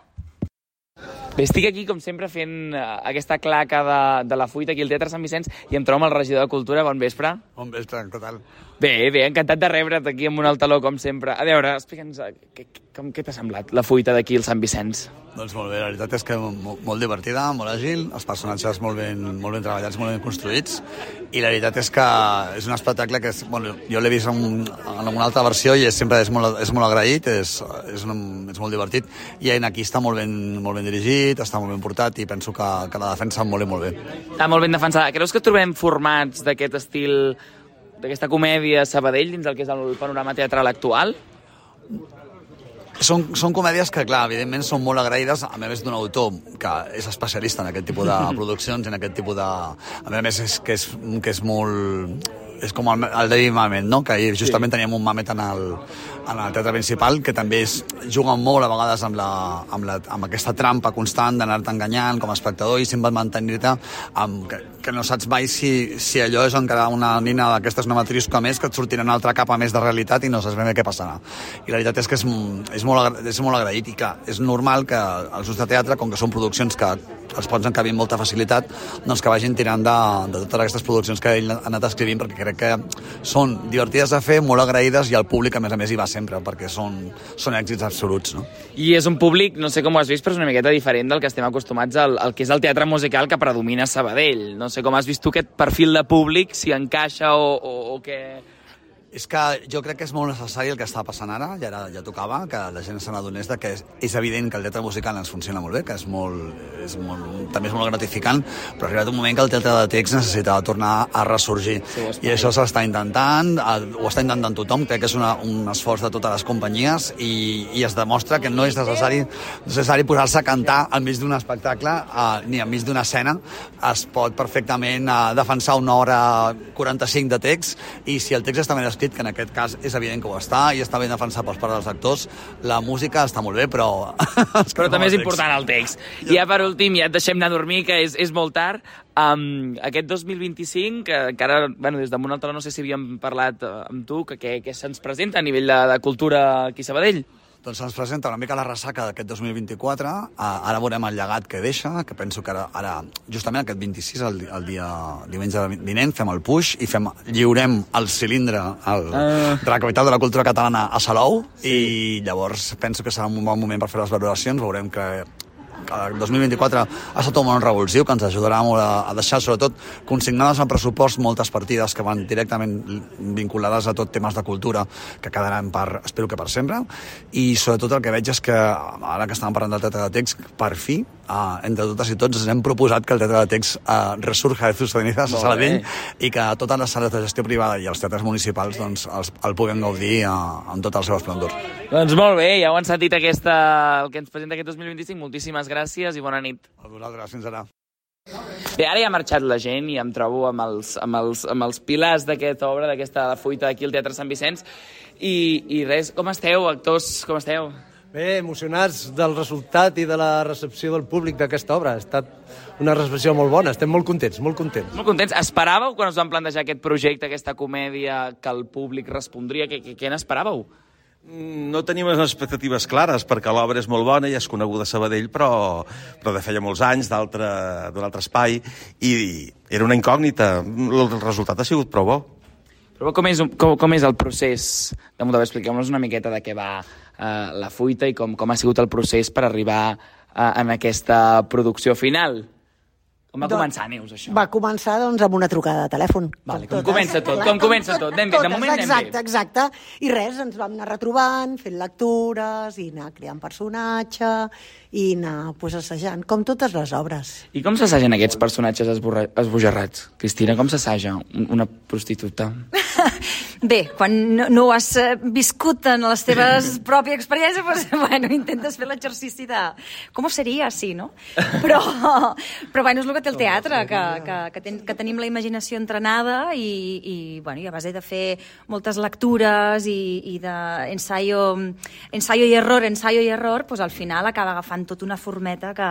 [SPEAKER 5] Bé, estic aquí, com sempre, fent uh, aquesta claca de, de La Fuita aquí al Teatre Sant Vicenç i em trobo amb el regidor de Cultura. Bon vespre.
[SPEAKER 6] Bon vespre, què tal?
[SPEAKER 5] Bé, bé, encantat de rebre't aquí amb un altaló, com sempre. A veure, explica'ns uh, què, com, què t'ha semblat La Fuita d'aquí al Sant Vicenç?
[SPEAKER 6] Doncs molt bé, la veritat és que molt, molt divertida, molt àgil, els personatges molt ben, molt ben treballats, molt ben construïts, i la veritat és que és un espectacle que és, bueno, jo l'he vist en, en una altra versió i és, sempre és molt, és molt agraït, és, és, un, és molt divertit, i aquí està molt ben, molt ben dirigit, està molt ben portat i penso que, que la defensa molt i molt bé.
[SPEAKER 5] Està molt ben defensada. Creus que trobem formats d'aquest estil, d'aquesta comèdia a Sabadell dins el que és el panorama teatral actual?
[SPEAKER 6] Són, són comèdies que, clar, evidentment són molt agraïdes, a més d'un autor que és especialista en aquest tipus de produccions, en aquest tipus de... A més, és que és, que és molt... És com el, el David Mamet, no? Que ahir justament sí. Teníem un Mamet en el, en el teatre principal, que també és, juguen molt a vegades amb, la, amb, la, amb aquesta trampa constant d'anar-te enganyant com a espectador i sempre mantenir-te amb, que, que no saps mai si, si allò és encara una nina d'aquestes, una matriosca més, que et sortirà una altra capa més de realitat i no saps ben bé què passarà. I la veritat és que és, és, molt, és molt agraït i que és normal que els grups de teatre, com que són produccions que els pots encabir amb molta facilitat, doncs que vagin tirant de, de totes aquestes produccions que ell ha anat escrivint, perquè crec que són divertides de fer, molt agraïdes, i el públic, a més a més, hi va sempre, perquè són, són èxits absoluts, no?
[SPEAKER 5] I és un públic, no sé com ho has vist, però és una miqueta diferent del que estem acostumats al, al que és el teatre musical que predomina a Sabadell. No sé com has vist tu aquest perfil de públic, si encaixa o, o, o què...
[SPEAKER 6] És que jo crec que és molt necessari el que està passant ara, ja, era, ja tocava, que la gent se n'adonés que és, és evident que el teatre musical ens funciona molt bé, que és molt, és molt, també és molt gratificant, però ha arribat un moment que el teatre de text necessitava tornar a ressorgir. Sí, i això s'està intentant, ho està intentant tothom, crec que és una, un esforç de totes les companyies i, i es demostra que no és necessari, necessari posar-se a cantar al mig d'un espectacle uh, ni al mig d'una escena. Es pot perfectament uh, defensar una hora quaranta-cinc de text, i si el text està ben escrit, que en aquest cas és evident que ho està i està ben defensat pels pares dels actors, la música està molt bé, però...
[SPEAKER 5] però també és important el text. I ja per últim, ja et deixem anar a dormir, que és, és molt tard. Um, aquest dos mil vint-i-cinc, que encara, bueno, des d'en un altre no sé si havíem parlat amb tu, que, que, que se'ns presenta a nivell de, de cultura aquí a Sabadell?
[SPEAKER 6] Doncs se'ns presenta una mica la ressaca d'aquest dos mil vint-i-quatre, ara veurem el llegat que deixa, que penso que ara, ara justament aquest vint-i-sis, el, el dia diumenge vinent, fem el puix i fem, lliurem el cilindre el, uh. de la capital de la cultura catalana a Salou, sí. I llavors penso que serà un bon moment per fer les valoracions, veurem que el dos mil vint-i-quatre ha estat un bon revulsiu que ens ajudarà molt a, a deixar, sobretot, consignades al pressupost moltes partides que van directament vinculades a tot temes de cultura que quedaran per, espero que per sempre, i sobretot el que veig és que ara que estàvem parlant del teatre de text, per fi, uh, entre totes i tots ens hem proposat que el teatre de text uh, resurja de sus cenizas a Sabadell i que totes les sales de gestió privada i els teatres municipals doncs, els, el puguem gaudir uh, amb tot el seu esplendor.
[SPEAKER 5] Doncs molt bé, ja ho han sentit aquesta, el que ens presenta aquest dos mil vint-i-cinc, moltíssimes gràcies i bona nit.
[SPEAKER 6] A vosaltres, fins ara.
[SPEAKER 5] Bé, ara ja ha marxat la gent i em trobo amb els, amb els, amb els pilars d'aquesta obra, d'aquesta fuita aquí al Teatre Sant Vicenç. I, i res, com esteu, actors, com esteu?
[SPEAKER 7] Bé, emocionats del resultat i de la recepció del públic d'aquesta obra. Ha estat una recepció molt bona, estem molt contents, molt contents.
[SPEAKER 5] Molt contents. Esperàveu, quan us van plantejar aquest projecte, aquesta comèdia, que el públic respondria? Què, què, què n'esperàveu?
[SPEAKER 8] No tenim les expectatives clares, perquè l'obra és molt bona i és coneguda a Sabadell, però, però de feia molts anys, d'un altre espai, i era una incògnita. El resultat ha sigut prou bo.
[SPEAKER 5] Però com és, com, com és el procés? De Montavall, expliqueu-nos una miqueta de què va eh, la fuita i com, com ha sigut el procés per arribar eh, en aquesta producció final. Com va començar, Neus, això?
[SPEAKER 9] Va començar, doncs, amb una trucada de telèfon.
[SPEAKER 5] Vale, com comença tot, com comença tot. Anem bé, de moment anem bé.
[SPEAKER 9] Exacte, exacte. I res, ens vam anar retrobant, fent lectures, i anar creant personatge, i anar pues, assajant, com totes les obres.
[SPEAKER 5] I com s'assagen aquests personatges esborra... esbojarrats? Cristina, com s'assaja una prostituta?
[SPEAKER 10] Bé, quan no, no ho has viscut en les teves pròpies experiències, doncs, bueno, intentes fer l'exercici de com seria, sí, no? Però, però bueno, és el que té el teatre, que, que, que, ten, que tenim la imaginació entrenada i, i, bueno, i a base de fer moltes lectures i, i d'ensaio ensaio i error, ensaio i error, doncs al final acaba agafant tota una formeta que,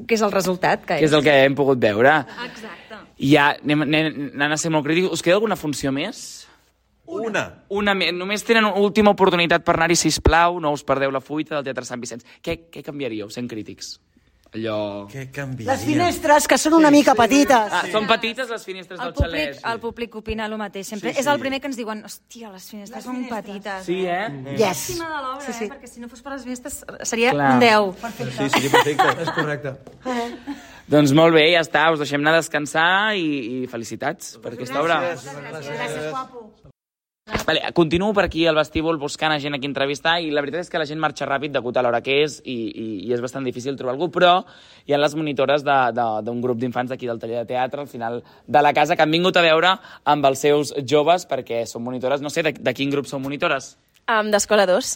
[SPEAKER 10] que és el resultat. Que,
[SPEAKER 5] que és el que hem pogut veure.
[SPEAKER 10] Exacte.
[SPEAKER 5] I ja, anem, anem, anem a ser molt crítics. Us queda alguna funció més?
[SPEAKER 8] Una.
[SPEAKER 5] Una més. Només tenen una última oportunitat per anar-hi, sisplau. No us perdeu la fuita del Teatre Sant Vicenç. Què, què canviaríeu, sent crítics? Allò...
[SPEAKER 8] Què canviaria?
[SPEAKER 9] Les finestres, que són una mica petites.
[SPEAKER 5] Ah, són petites les finestres
[SPEAKER 10] el
[SPEAKER 5] del
[SPEAKER 10] públic,
[SPEAKER 5] xalet.
[SPEAKER 10] el públic opina el mateix. Sempre.
[SPEAKER 8] Sí, sí.
[SPEAKER 10] És el primer que ens diuen, hòstia, les finestres són petites.
[SPEAKER 5] Sí, eh?
[SPEAKER 9] Yes.
[SPEAKER 10] Llàstima de l'obra,
[SPEAKER 9] Sí, sí.
[SPEAKER 10] eh? Perquè si no fos per les finestres seria
[SPEAKER 5] Clar.
[SPEAKER 10] un deu.
[SPEAKER 7] Sí, sí, perfecte, és correcte.
[SPEAKER 5] Doncs molt bé, ja està. Us deixem anar a descansar i, i felicitats per aquesta obra.
[SPEAKER 9] Gràcies, guapo.
[SPEAKER 5] Vale, continuo per aquí al vestíbul buscant a gent a qui entrevistar i la veritat és que la gent marxa ràpid degut a l'hora que és i, i, i és bastant difícil trobar algú, però hi ha les monitores d'un grup d'infants d'aquí del taller de teatre al final de la casa que han vingut a veure amb els seus joves perquè són monitores, no sé, de, de quin grup són monitores?
[SPEAKER 11] Um, D'Escola dos.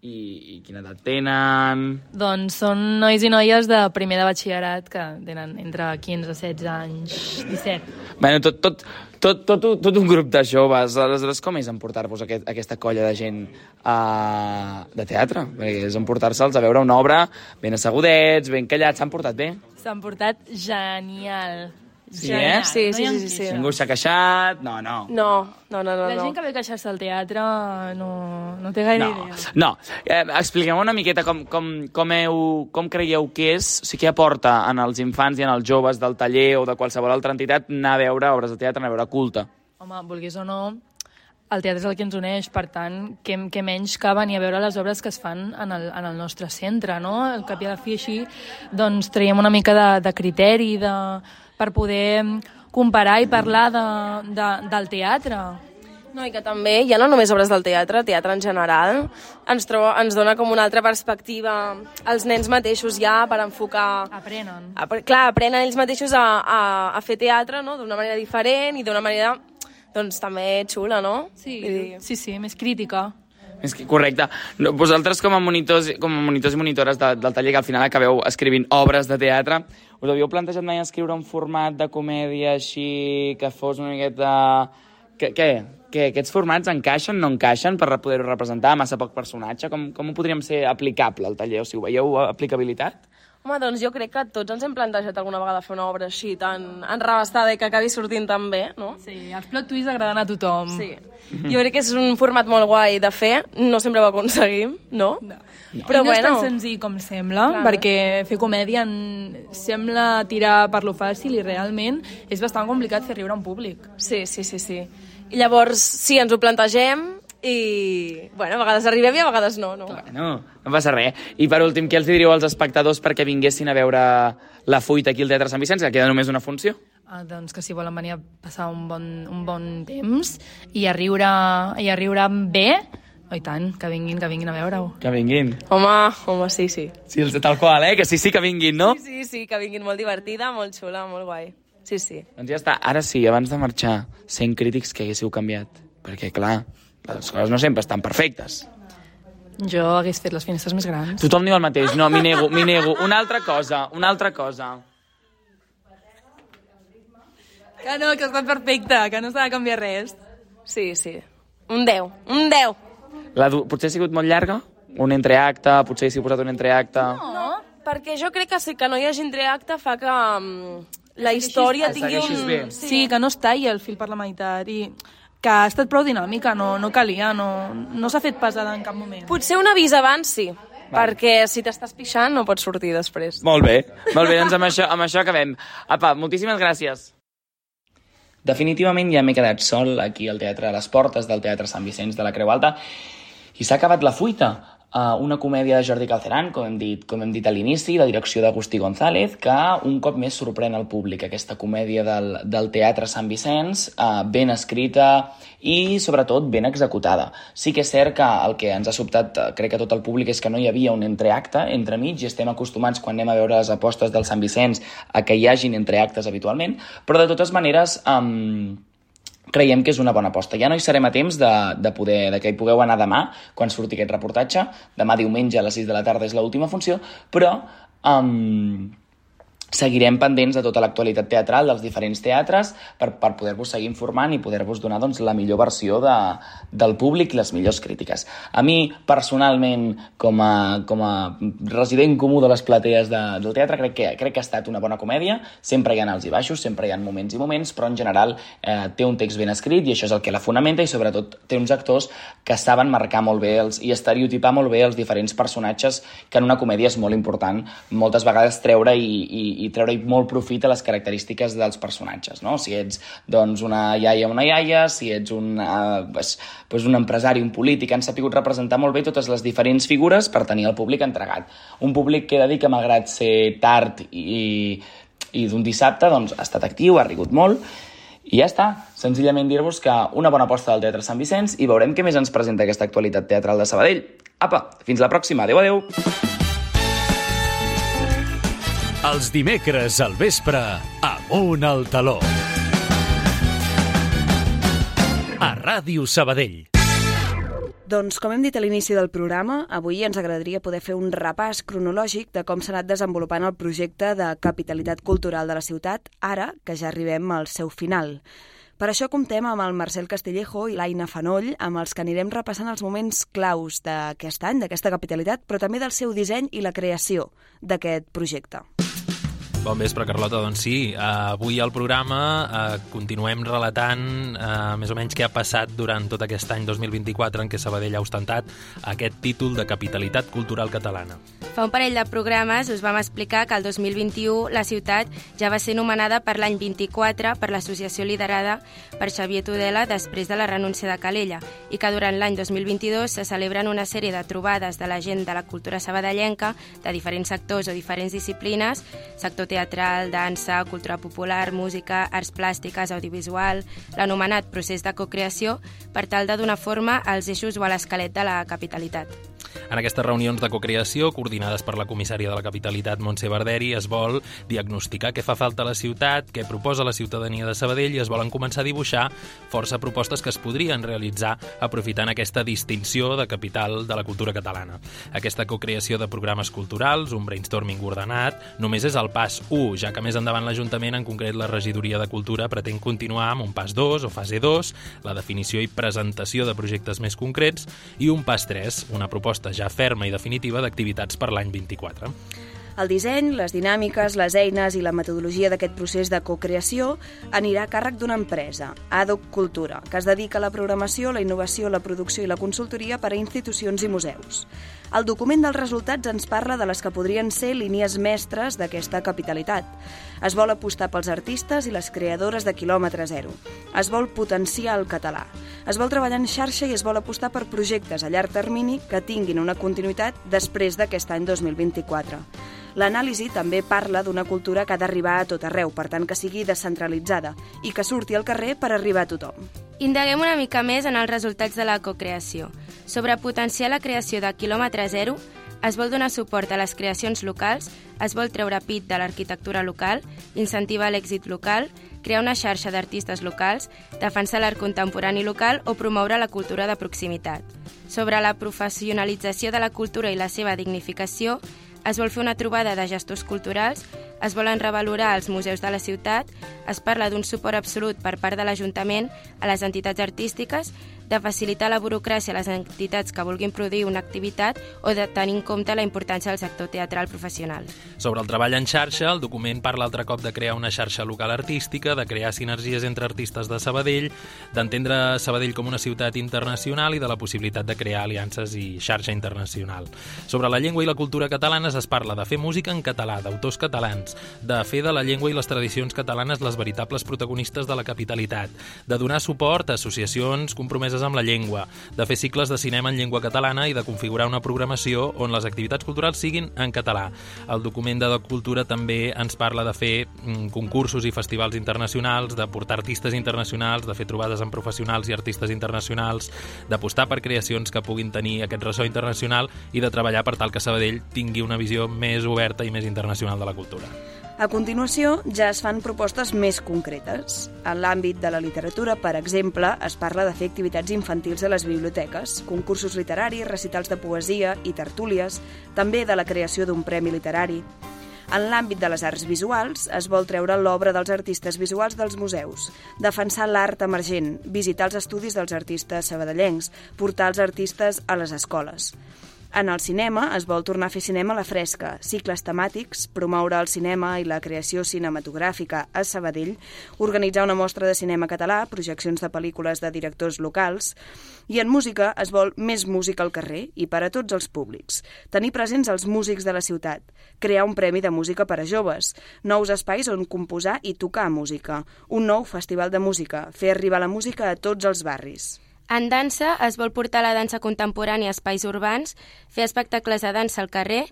[SPEAKER 5] I, I quina edat tenen?
[SPEAKER 12] Doncs són nois i noies de primer de batxillerat que tenen entre quinze, setze anys, disset.
[SPEAKER 5] Bueno, tot, tot, tot, tot, tot un grup de joves. Aleshores, com és emportar-vos aquest, aquesta colla de gent uh, de teatre? Perquè és emportar-se'ls a veure una obra ben assegudets, ben callats. S'han portat bé?
[SPEAKER 12] S'han portat genial.
[SPEAKER 5] Sí,
[SPEAKER 12] genial.
[SPEAKER 5] eh?
[SPEAKER 11] Sí,
[SPEAKER 12] No
[SPEAKER 11] sí,
[SPEAKER 12] hi ha
[SPEAKER 11] sí, sí.
[SPEAKER 5] Ningú s'ha queixat? No, no.
[SPEAKER 11] No, no, no, no.
[SPEAKER 12] La
[SPEAKER 11] no.
[SPEAKER 12] gent que ve a queixar-se al teatre no, no té gaire
[SPEAKER 5] No,
[SPEAKER 12] idea.
[SPEAKER 5] no. Eh, expliqueu una miqueta com, com, com, heu, com creieu que és, o sigui, què aporta en els infants i en els joves del taller o de qualsevol altra entitat anar a veure obres de teatre, anar a veure culte.
[SPEAKER 12] Home, vulguis o no, el teatre és el que ens uneix, per tant, què, què menys que venir a veure les obres que es fan en el, en el nostre centre, no? Al cap i a la fi així, doncs traiem una mica de, de criteri de, per poder comparar i parlar de, de, del teatre.
[SPEAKER 11] No, i que també, ja no només obres del teatre, teatre en general, ens, troba, ens dona com una altra perspectiva als nens mateixos ja per enfocar...
[SPEAKER 12] Aprenen.
[SPEAKER 11] A, clar, aprenen ells mateixos a, a, a fer teatre, no?, d'una manera diferent i d'una manera, doncs, també xula, no?
[SPEAKER 12] Sí, sí, sí, més crítica.
[SPEAKER 5] És que, correcte. No, vosaltres com a monitors, com a monitors i monitores de, del taller que al final acabeu escrivint obres de teatre, us havíeu plantejat mai escriure un format de comèdia així que fos una miqueta... Què? Què? Que aquests formats encaixen, no encaixen per poder-ho representar, massa poc personatge? Com, com ho podríem ser aplicable al taller? O sigui, ho veieu aplicabilitat?
[SPEAKER 11] Home, doncs jo crec que tots ens hem plantejat alguna vegada fer una obra així tan enrabastada i que acabi sortint tan bé, no?
[SPEAKER 12] Sí, els plot twists agraden a tothom.
[SPEAKER 11] Sí. Jo crec que és un format molt guai de fer, no sempre ho aconseguim, no?
[SPEAKER 12] No.
[SPEAKER 11] Però
[SPEAKER 12] I no és
[SPEAKER 11] bueno...
[SPEAKER 12] tan senzill com sembla,
[SPEAKER 11] Clar.
[SPEAKER 12] perquè fer comèdia en... sembla tirar per lo fàcil i realment és bastant complicat fer riure un públic.
[SPEAKER 11] Sí, sí, sí, sí. I llavors, sí, ens ho plantegem i, bueno, a vegades arribem i a vegades no, no?
[SPEAKER 5] Bueno, no passa res. I per últim, què els diríeu als espectadors perquè vinguessin a veure La Fuita aquí al Teatre Sant Vicenç, que queda només una funció?
[SPEAKER 12] Ah, doncs que si volen venir a passar un bon, un bon temps i a riure, i a riure bé, oh, i tant, que vinguin, que vinguin a veure-ho.
[SPEAKER 5] Que vinguin.
[SPEAKER 11] Home, home, sí, sí.
[SPEAKER 5] Sí, tal qual, eh? Que sí, sí que vinguin, no?
[SPEAKER 11] Sí, sí, sí, que vinguin, molt divertida, molt xula, molt guai. Sí, sí.
[SPEAKER 5] Doncs ja està. Ara sí, abans de marxar, sent crítics que haguéssiu canviat. Perquè, clar, les coses no sempre estan perfectes.
[SPEAKER 12] Jo hagués fet les finestres més grans.
[SPEAKER 5] Tothom diu el mateix. No, m'hi nego, m'hi nego. Una altra cosa, una altra cosa.
[SPEAKER 12] Que no, que està perfecte, que no s'ha de canviar res.
[SPEAKER 11] Sí, sí. Un deu, un deu.
[SPEAKER 5] La du... Potser ha sigut molt llarga? Un entreacte, potser hi ha posat un entreacte...
[SPEAKER 11] No, perquè jo crec que sí que no hi hagi entreacte fa que um, la història tingui un...
[SPEAKER 12] Bé. Sí. sí, que no es talli el fil per la meitat i que ha estat prou dinàmica, no, no calia, no, no s'ha fet pesada en cap moment.
[SPEAKER 11] Potser un avís abans sí, vale. Perquè si t'estàs pixant no pots sortir després.
[SPEAKER 5] Molt bé, molt bé, doncs amb això, amb això acabem. Apa, moltíssimes gràcies. Definitivament ja m'he quedat sol aquí al teatre, a les portes del Teatre Sant Vicenç de la Creu Alta, i s'ha acabat La Fuita. Uh, una comèdia de Jordi Galceran, com hem dit, com hem dit a l'inici, de direcció d'Agustí González, que un cop més sorprèn el públic. Aquesta comèdia del, del Teatre Sant Vicenç, uh, ben escrita i, sobretot, ben executada. Sí que és cert que el que ens ha sobtat, uh, crec que tot el públic, és que no hi havia un entreacte entremig, i estem acostumats, quan anem a veure les apostes del Sant Vicenç, a que hi hagin entreactes habitualment, però de totes maneres... Um, creiem que és una bona aposta. Ja no hi serem a temps de, de, poder, de que hi pugueu anar demà, quan surti aquest reportatge. Demà diumenge a les sis de la tarda és l'última funció, però um, seguirem pendents de tota l'actualitat teatral dels diferents teatres per, per poder-vos seguir informant i poder-vos donar doncs, la millor versió de, del públic i les millors crítiques. A mi, personalment, com a, com a resident comú de les platees de, del teatre, crec que, crec que ha estat una bona comèdia. Sempre hi ha alts i baixos, sempre hi ha moments i moments, però en general eh, té un text ben escrit i això és el que la fonamenta, i sobretot té uns actors que saben marcar molt bé els, i estereotipar molt bé els diferents personatges, que en una comèdia és molt important moltes vegades treure i, i i treure molt profit a les característiques dels personatges, no? Si ets doncs, una iaia o una iaia, si ets un, uh, pues, pues un empresari, un polític, han sapigut representar molt bé totes les diferents figures per tenir el públic entregat. Un públic que he de dir que, malgrat ser tard i, i d'un dissabte, doncs, ha estat actiu, ha rigut molt, i ja està. Senzillament dir-vos que una bona aposta del Teatre Sant Vicenç, i veurem què més ens presenta aquesta actualitat teatral de Sabadell. Apa, fins la pròxima. Adéu, adéu.
[SPEAKER 2] Els dimecres al vespre, Amunt al Taló. A Ràdio Sabadell.
[SPEAKER 1] Doncs, com hem dit a l'inici del programa, avui ens agradaria poder fer un repàs cronològic de com s'ha anat desenvolupant el projecte de capitalitat cultural de la ciutat, ara que ja arribem al seu final. Per això comptem amb el Marcel Castillejo i l'Aina Fanoll, amb els que anirem repassant els moments claus d'aquest any, d'aquesta capitalitat, però també del seu disseny i la creació d'aquest projecte.
[SPEAKER 13] Bon vespre, Carlota. Doncs sí, uh, avui al programa uh, continuem relatant uh, més o menys què ha passat durant tot aquest any dos mil vint-i-quatre en què Sabadell ha ostentat aquest títol de capitalitat cultural catalana.
[SPEAKER 3] Fa un parell de programes us vam explicar que el dos mil vint-i-u la ciutat ja va ser nomenada per l'any vint-i-quatre per l'associació liderada per Xavier Tudela després de la renúncia de Calella, i que durant l'any dos mil vint-i-dos se celebren una sèrie de trobades de la gent de la cultura sabadellenca, de diferents sectors o diferents disciplines, sector teatral, dansa, cultura popular, música, arts plàstiques, audiovisual, l'anomenat procés de cocreació, per tal de donar forma als eixos o a l'esquelet de la capitalitat.
[SPEAKER 13] En aquestes reunions de cocreació, coordinades per la comissària de la capitalitat, Montse Barderi, es vol diagnosticar què fa falta a la ciutat, què proposa la ciutadania de Sabadell, i es volen començar a dibuixar força propostes que es podrien realitzar aprofitant aquesta distinció de capital de la cultura catalana. Aquesta cocreació de programes culturals, un brainstorming ordenat, només és el pas u, ja que més endavant l'Ajuntament, en concret la Regidoria de Cultura, pretén continuar amb un pas dos o fase dos, la definició i presentació de projectes més concrets, i un pas tres, una proposta ja ferma i definitiva d'activitats per l'any vint-i-quatre.
[SPEAKER 1] El disseny, les dinàmiques, les eines i la metodologia d'aquest procés de cocreació anirà a càrrec d'una empresa, Adoc Cultura, que es dedica a la programació, la innovació, la producció i la consultoria per a institucions i museus. El document dels resultats ens parla de les que podrien ser línies mestres d'aquesta capitalitat. Es vol apostar pels artistes i les creadores de quilòmetre zero. Es vol potenciar el català. Es vol treballar en xarxa i es vol apostar per projectes a llarg termini que tinguin una continuïtat després d'aquest any dos mil vint-i-quatre. L'anàlisi també parla d'una cultura que ha d'arribar a tot arreu, per tant que sigui descentralitzada i que surti al carrer per arribar a tothom.
[SPEAKER 3] Indaguem una mica més en els resultats de la cocreació. Sobre potenciar la creació de quilòmetre zero, es vol donar suport a les creacions locals, es vol treure pit de l'arquitectura local, incentivar l'èxit local, crear una xarxa d'artistes locals, defensar l'art contemporani local o promoure la cultura de proximitat. Sobre la professionalització de la cultura i la seva dignificació, es vol fer una trobada de gestors culturals, es volen revalorar els museus de la ciutat, es parla d'un suport absolut per part de l'Ajuntament a les entitats artístiques, de facilitar la burocràcia a les entitats que vulguin produir una activitat o de tenir en compte la importància del sector teatral professional.
[SPEAKER 13] Sobre el treball en xarxa, el document parla altre cop de crear una xarxa local artística, de crear sinergies entre artistes de Sabadell, d'entendre Sabadell com una ciutat internacional i de la possibilitat de crear aliances i xarxa internacional. Sobre la llengua i la cultura catalanes es parla de fer música en català, d'autors catalans, de fer de la llengua i les tradicions catalanes les veritables protagonistes de la capitalitat, de donar suport a associacions compromeses compromeses amb la llengua, de fer cicles de cinema en llengua catalana i de configurar una programació on les activitats culturals siguin en català. El document de Doc Cultura també ens parla de fer mm, concursos i festivals internacionals, de portar artistes internacionals, de fer trobades amb professionals i artistes internacionals, d'apostar per creacions que puguin tenir aquest ressò internacional i de treballar per tal que Sabadell tingui una visió més oberta i més internacional de la cultura.
[SPEAKER 1] A continuació, ja es fan propostes més concretes. En l'àmbit de la literatura, per exemple, es parla de fer activitats infantils a les biblioteques, concursos literaris, recitals de poesia i tertúlies, també de la creació d'un premi literari. En l'àmbit de les arts visuals, es vol treure l'obra dels artistes visuals dels museus, defensar l'art emergent, visitar els estudis dels artistes sabadellencs, portar els artistes a les escoles. En el cinema es vol tornar a fer cinema a la fresca, cicles temàtics, promoure el cinema i la creació cinematogràfica a Sabadell, organitzar una mostra de cinema català, projeccions de pel·lícules de directors locals, i en música es vol més música al carrer i per a tots els públics, tenir presents els músics de la ciutat, crear un premi de música per a joves, nous espais on composar i tocar música, un nou festival de música, fer arribar la música a tots els barris.
[SPEAKER 3] En dansa es vol portar la dansa contemporània a espais urbans, fer espectacles de dansa al carrer,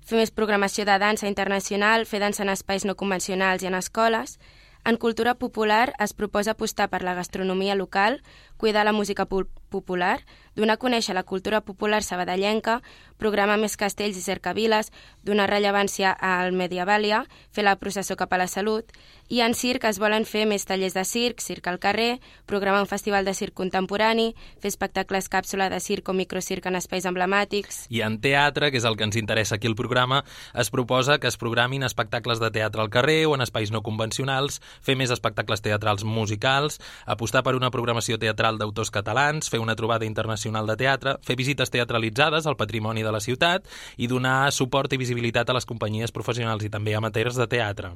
[SPEAKER 3] fer més programació de dansa internacional, fer dansa en espais no convencionals i en escoles. En cultura popular es proposa apostar per la gastronomia local, cuidar la música popular, donar a conèixer la cultura popular sabadellenca, programar més castells i cercaviles, donar rellevància al Medievàlia, fer la processó cap a la salut, i en circ es volen fer més tallers de circ, circ al carrer, programar un festival de circ contemporani, fer espectacles càpsula de circ o microcirc en espais emblemàtics.
[SPEAKER 13] I en teatre, que és el que ens interessa aquí al programa, es proposa que es programin espectacles de teatre al carrer o en espais no convencionals, fer més espectacles teatrals musicals, apostar per una programació teatral d'autors catalans, fer una trobada internacional de teatre, fer visites teatralitzades al patrimoni de la ciutat i donar suport i visibilitat a les companyies professionals i també amateurs de teatre.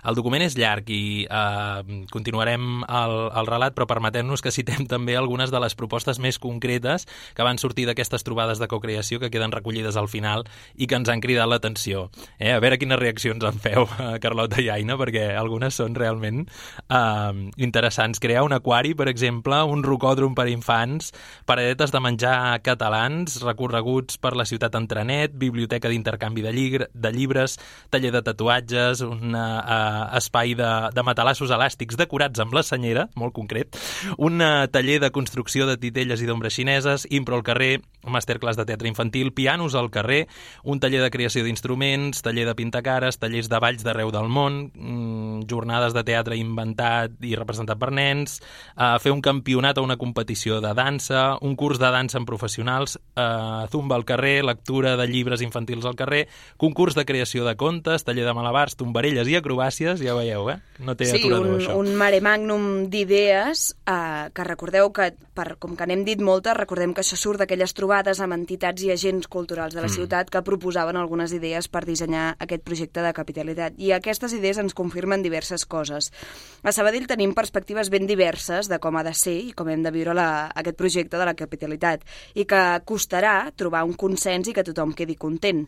[SPEAKER 13] El document és llarg i eh, continuarem el, el relat, però permetem-nos que citem també algunes de les propostes més concretes que van sortir d'aquestes trobades de cocreació que queden recollides al final i que ens han cridat l'atenció. Eh? A veure quines reaccions en feu, Carlota i Aina, perquè algunes són realment eh, interessants. Crear un aquari, per exemple, un rocòdrom per a infants, paradetes de menjar catalans, recorreguts per la ciutat en trenet, biblioteca d'intercanvi de, lligre, de llibres, taller de tatuatges, un uh, espai de, de matalassos elàstics decorats amb la senyera, molt concret, un uh, taller de construcció de titelles i d'ombres xineses, impro al carrer, masterclass de teatre infantil, pianos al carrer, un taller de creació d'instruments, taller de pintacares, tallers de balls d'arreu del món, mm, jornades de teatre inventat i representat per nens, uh, fer un campionat o una competició de dansa, un curs de dansa amb professionals, uh, zumba al carrer, lectura de llibres infantils al carrer, concurs de creació de contes, taller de malabars, tombarelles i acrobàcies, ja veieu, eh? No té
[SPEAKER 1] sí,
[SPEAKER 13] aturador,
[SPEAKER 1] un,
[SPEAKER 13] això.
[SPEAKER 1] un mare magnum d'idees eh, que recordeu que, per, com que n'hem dit moltes, recordem que això surt d'aquelles trobades amb entitats i agents culturals de la mm. ciutat que proposaven algunes idees per dissenyar aquest projecte de capitalitat. I aquestes idees ens confirmen diverses coses. A Sabadell tenim perspectives ben diverses de com ha de ser i com hem de viure la, aquest projecte de la capitalitat i que costarà trobar un consens i que tothom quedi content.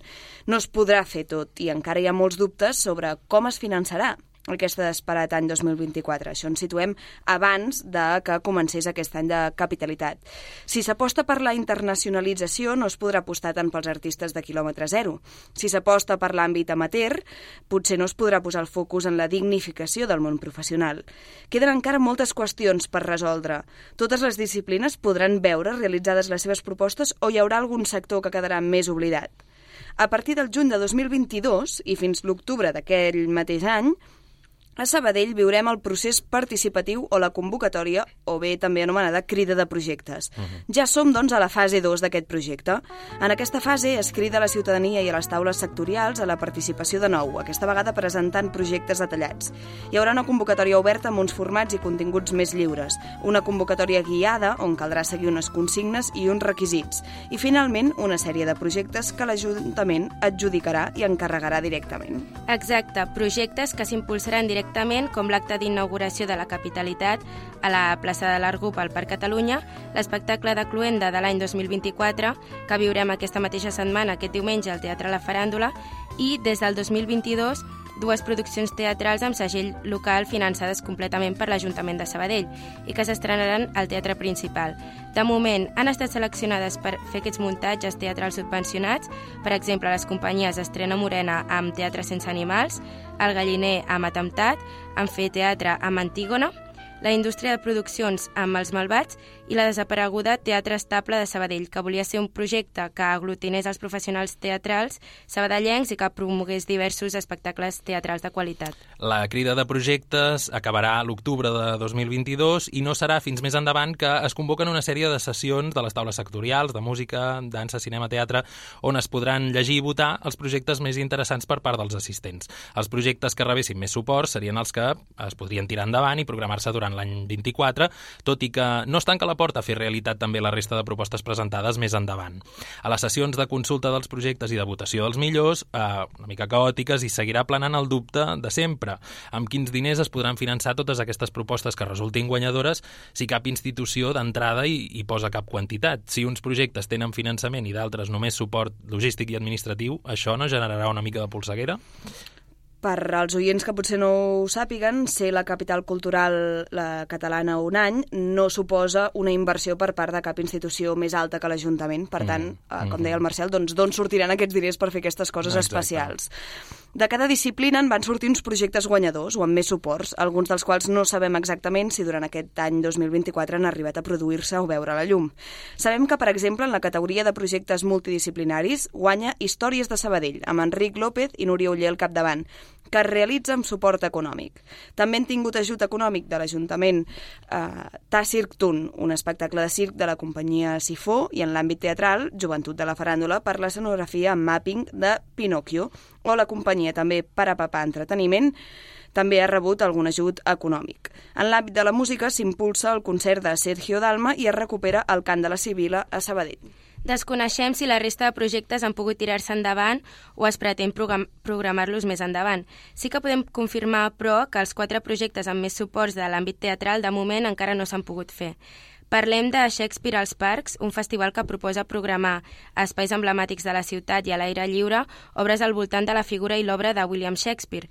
[SPEAKER 1] No es podrà fer tot i encara hi ha molts dubtes sobre com es finançarà aquest esperat any dos mil vint-i-quatre. Això ens situem abans de que comencés aquest any de capitalitat. Si s'aposta per la internacionalització, no es podrà apostar tant pels artistes de quilòmetre zero. Si s'aposta per l'àmbit amateur, potser no es podrà posar el focus en la dignificació del món professional. Queden encara moltes qüestions per resoldre. Totes les disciplines podran veure realitzades les seves propostes o hi haurà algun sector que quedarà més oblidat. A partir del juny de dos mil vint-i-dos i fins l'octubre d'aquell mateix any, a Sabadell viurem el procés participatiu o la convocatòria, o bé també anomenada crida de projectes. Uh-huh. Ja som, doncs, a la fase dos d'aquest projecte. En aquesta fase es crida a la ciutadania i a les taules sectorials a la participació de nou, aquesta vegada presentant projectes detallats. Hi haurà una convocatòria oberta amb uns formats i continguts més lliures, una convocatòria guiada on caldrà seguir unes consignes i uns requisits, i finalment una sèrie de projectes que l'Ajuntament adjudicarà i encarregarà directament.
[SPEAKER 3] Exacte, projectes que s'impulsaran directament com l'acte d'inauguració de la capitalitat a la plaça de l'Argup al Parc Catalunya, l'espectacle de Cluenda de l'any dos mil vint-i-quatre, que viurem aquesta mateixa setmana, aquest diumenge, al Teatre La Faràndula, i des del dos mil vint-i-dos dues produccions teatrals amb segell local finançades completament per l'Ajuntament de Sabadell i que s'estrenaran al Teatre Principal. De moment, han estat seleccionades per fer aquests muntatges teatrals subvencionats, per exemple, les companyies Estrena Morena amb Teatre Sense Animals, El Galliner amb Atemptat, Amfiteatre amb Antígona, la indústria de produccions amb Els Malvats i la desapareguda Teatre Estable de Sabadell, que volia ser un projecte que aglutinés els professionals teatrals sabadellencs i que promogués diversos espectacles teatrals de qualitat.
[SPEAKER 13] La crida de projectes acabarà l'octubre de dos mil vint-i-dos i no serà fins més endavant que es convoquen una sèrie de sessions de les taules sectorials de música, dansa, cinema, teatre, on es podran llegir i votar els projectes més interessants per part dels assistents. Els projectes que rebessin més suport serien els que es podrien tirar endavant i programar-se durant l'any vint-i-quatre, tot i que no es tanca la porta a fer realitat també la resta de propostes presentades més endavant. A les sessions de consulta dels projectes i de votació dels millors, eh, una mica caòtiques, i seguirà planant el dubte de sempre. Amb quins diners es podran finançar totes aquestes propostes que resultin guanyadores si cap institució d'entrada hi, hi posa cap quantitat? Si uns projectes tenen finançament i d'altres només suport logístic i administratiu, això no generarà una mica de polseguera?
[SPEAKER 1] Per als oients que potser no ho sàpiguen, ser la capital cultural la catalana un any no suposa una inversió per part de cap institució més alta que l'Ajuntament. Per tant, mm. com deia el Marcel, doncs d'on sortiran aquests diners per fer aquestes coses Exacte. especials? De cada disciplina en van sortir uns projectes guanyadors o amb més suports, alguns dels quals no sabem exactament si durant aquest any dos mil vint-i-quatre han arribat a produir-se o veure la llum. Sabem que, per exemple, en la categoria de projectes multidisciplinaris guanya Històries de Sabadell, amb Enric López i Núria Oller al capdavant, que es realitza amb suport econòmic. També han tingut ajut econòmic de l'Ajuntament eh, Ta Circ Tun, un espectacle de circ de la companyia Sifó, i en l'àmbit teatral, Joventut de la Faràndula, per l'escenografia amb mapping de Pinocchio, o la companyia també Parapapà Entreteniment, també ha rebut algun ajut econòmic. En l'àmbit de la música s'impulsa el concert de Sergio Dalma i es recupera el Cant de la Sibila a Sabadell.
[SPEAKER 3] Desconeixem si la resta de projectes han pogut tirar-se endavant o es pretén program- programar-los més endavant. Sí que podem confirmar, però, que els quatre projectes amb més suports de l'àmbit teatral de moment encara no s'han pogut fer. Parlem de Shakespeare als Parcs, un festival que proposa programar a espais emblemàtics de la ciutat i a l'aire lliure obres al voltant de la figura i l'obra de William Shakespeare.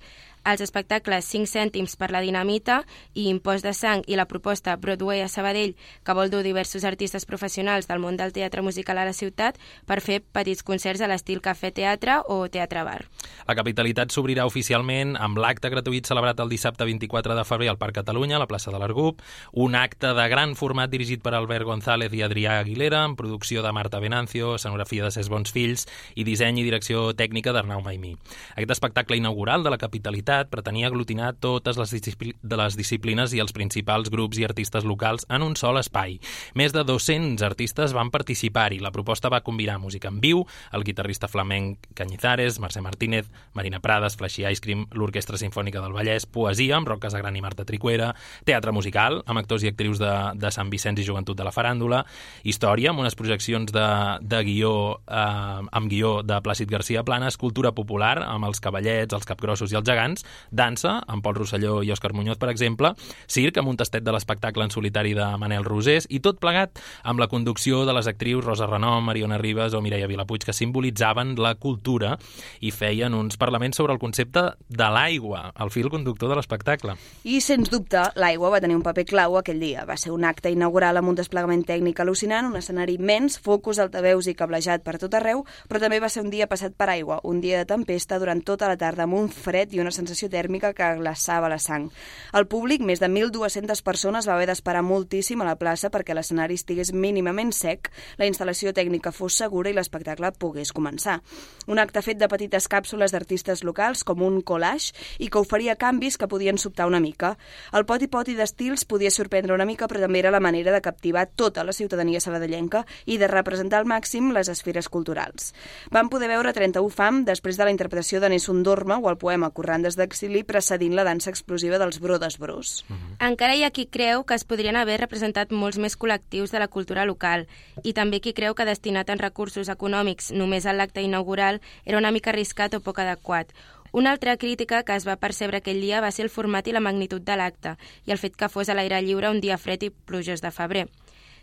[SPEAKER 3] Els espectacles cinc cèntims per la dinamita i Impost de sang i la proposta Broadway a Sabadell, que vol dur diversos artistes professionals del món del teatre musical a la ciutat per fer petits concerts a l'estil cafè-teatre o teatre-bar.
[SPEAKER 13] La capitalitat s'obrirà oficialment amb l'acte gratuït celebrat el dissabte vint-i-quatre de febrer al Parc Catalunya, a la plaça de l'Argup, un acte de gran format dirigit per Albert González i Adrià Aguilera, amb producció de Marta Venancio, escenografia de Ses Bons Fills i disseny i direcció tècnica d'Arnau Maimí. Aquest espectacle inaugural de la capitalitat pretenia aglutinar totes les, discipl de les disciplines i els principals grups i artistes locals en un sol espai. Més de dos-cents artistes van participar-hi. La proposta va combinar música en viu, el guitarrista flamenc Cañizares, Mercè Martínez, Marina Prades, Flashy Ice Cream, l'Orquestra Simfònica del Vallès, poesia amb Roc Casagran i Marta Tricuera, teatre musical amb actors i actrius de, de Sant Vicenç i Joventut de la Faràndula, història amb unes projeccions de, de guió eh, amb guió de Plàcid García Planes, cultura popular amb els Cavallets, els Capgrossos i els Gegants, dansa, amb Pol Rosselló i Òscar Muñoz, per exemple, circ, amb un tastet de l'espectacle en solitari de Manel Rosés, i tot plegat amb la conducció de les actrius Rosa Renom, Mariona Ribas o Mireia Vilapuig, que simbolitzaven la cultura i feien uns parlaments sobre el concepte de l'aigua, el fil conductor de l'espectacle.
[SPEAKER 1] I, sens dubte, l'aigua va tenir un paper clau aquell dia. Va ser un acte inaugural amb un desplegament tècnic al·lucinant, un escenari immens, focus, altaveus i cablejat per tot arreu, però també va ser un dia passat per aigua, un dia de tempesta durant tota la tarda, amb un fred i una sensació tèrmica que glaçava la sang. El públic, més de mil dues-centes persones, va haver d'esperar moltíssim a la plaça perquè l'escenari estigués mínimament sec, la instal·lació tècnica fos segura i l'espectacle pogués començar. Un acte fet de petites càpsules d'artistes locals, com un collage, i que oferia canvis que podien sobtar una mica. El poti-poti d'estils podia sorprendre una mica, però també era la manera de captivar tota la ciutadania sabadellenca i de representar al màxim les esferes culturals. Vam poder veure trenta-u fam després de la interpretació de Nessun Dorma o el poema Corrandes d'exili precedint la dansa explosiva dels Brodes Bros.
[SPEAKER 3] Mm-hmm. Encara hi ha qui creu que es podrien haver representat molts més col·lectius de la cultura local i també qui creu que destinar tants recursos econòmics només a l'acte inaugural era una mica arriscat o poc adequat. Una altra crítica que es va percebre aquell dia va ser el format i la magnitud de l'acte i el fet que fos a l'aire lliure un dia fred i plujós de febrer.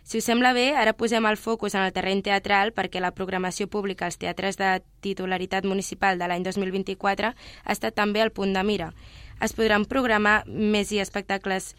[SPEAKER 3] Si us sembla bé, ara posem el focus en el terreny teatral perquè la programació pública als teatres de titularitat municipal de l'any dos mil vint-i-quatre ha estat també al punt de mira. Es podran programar més i espectacles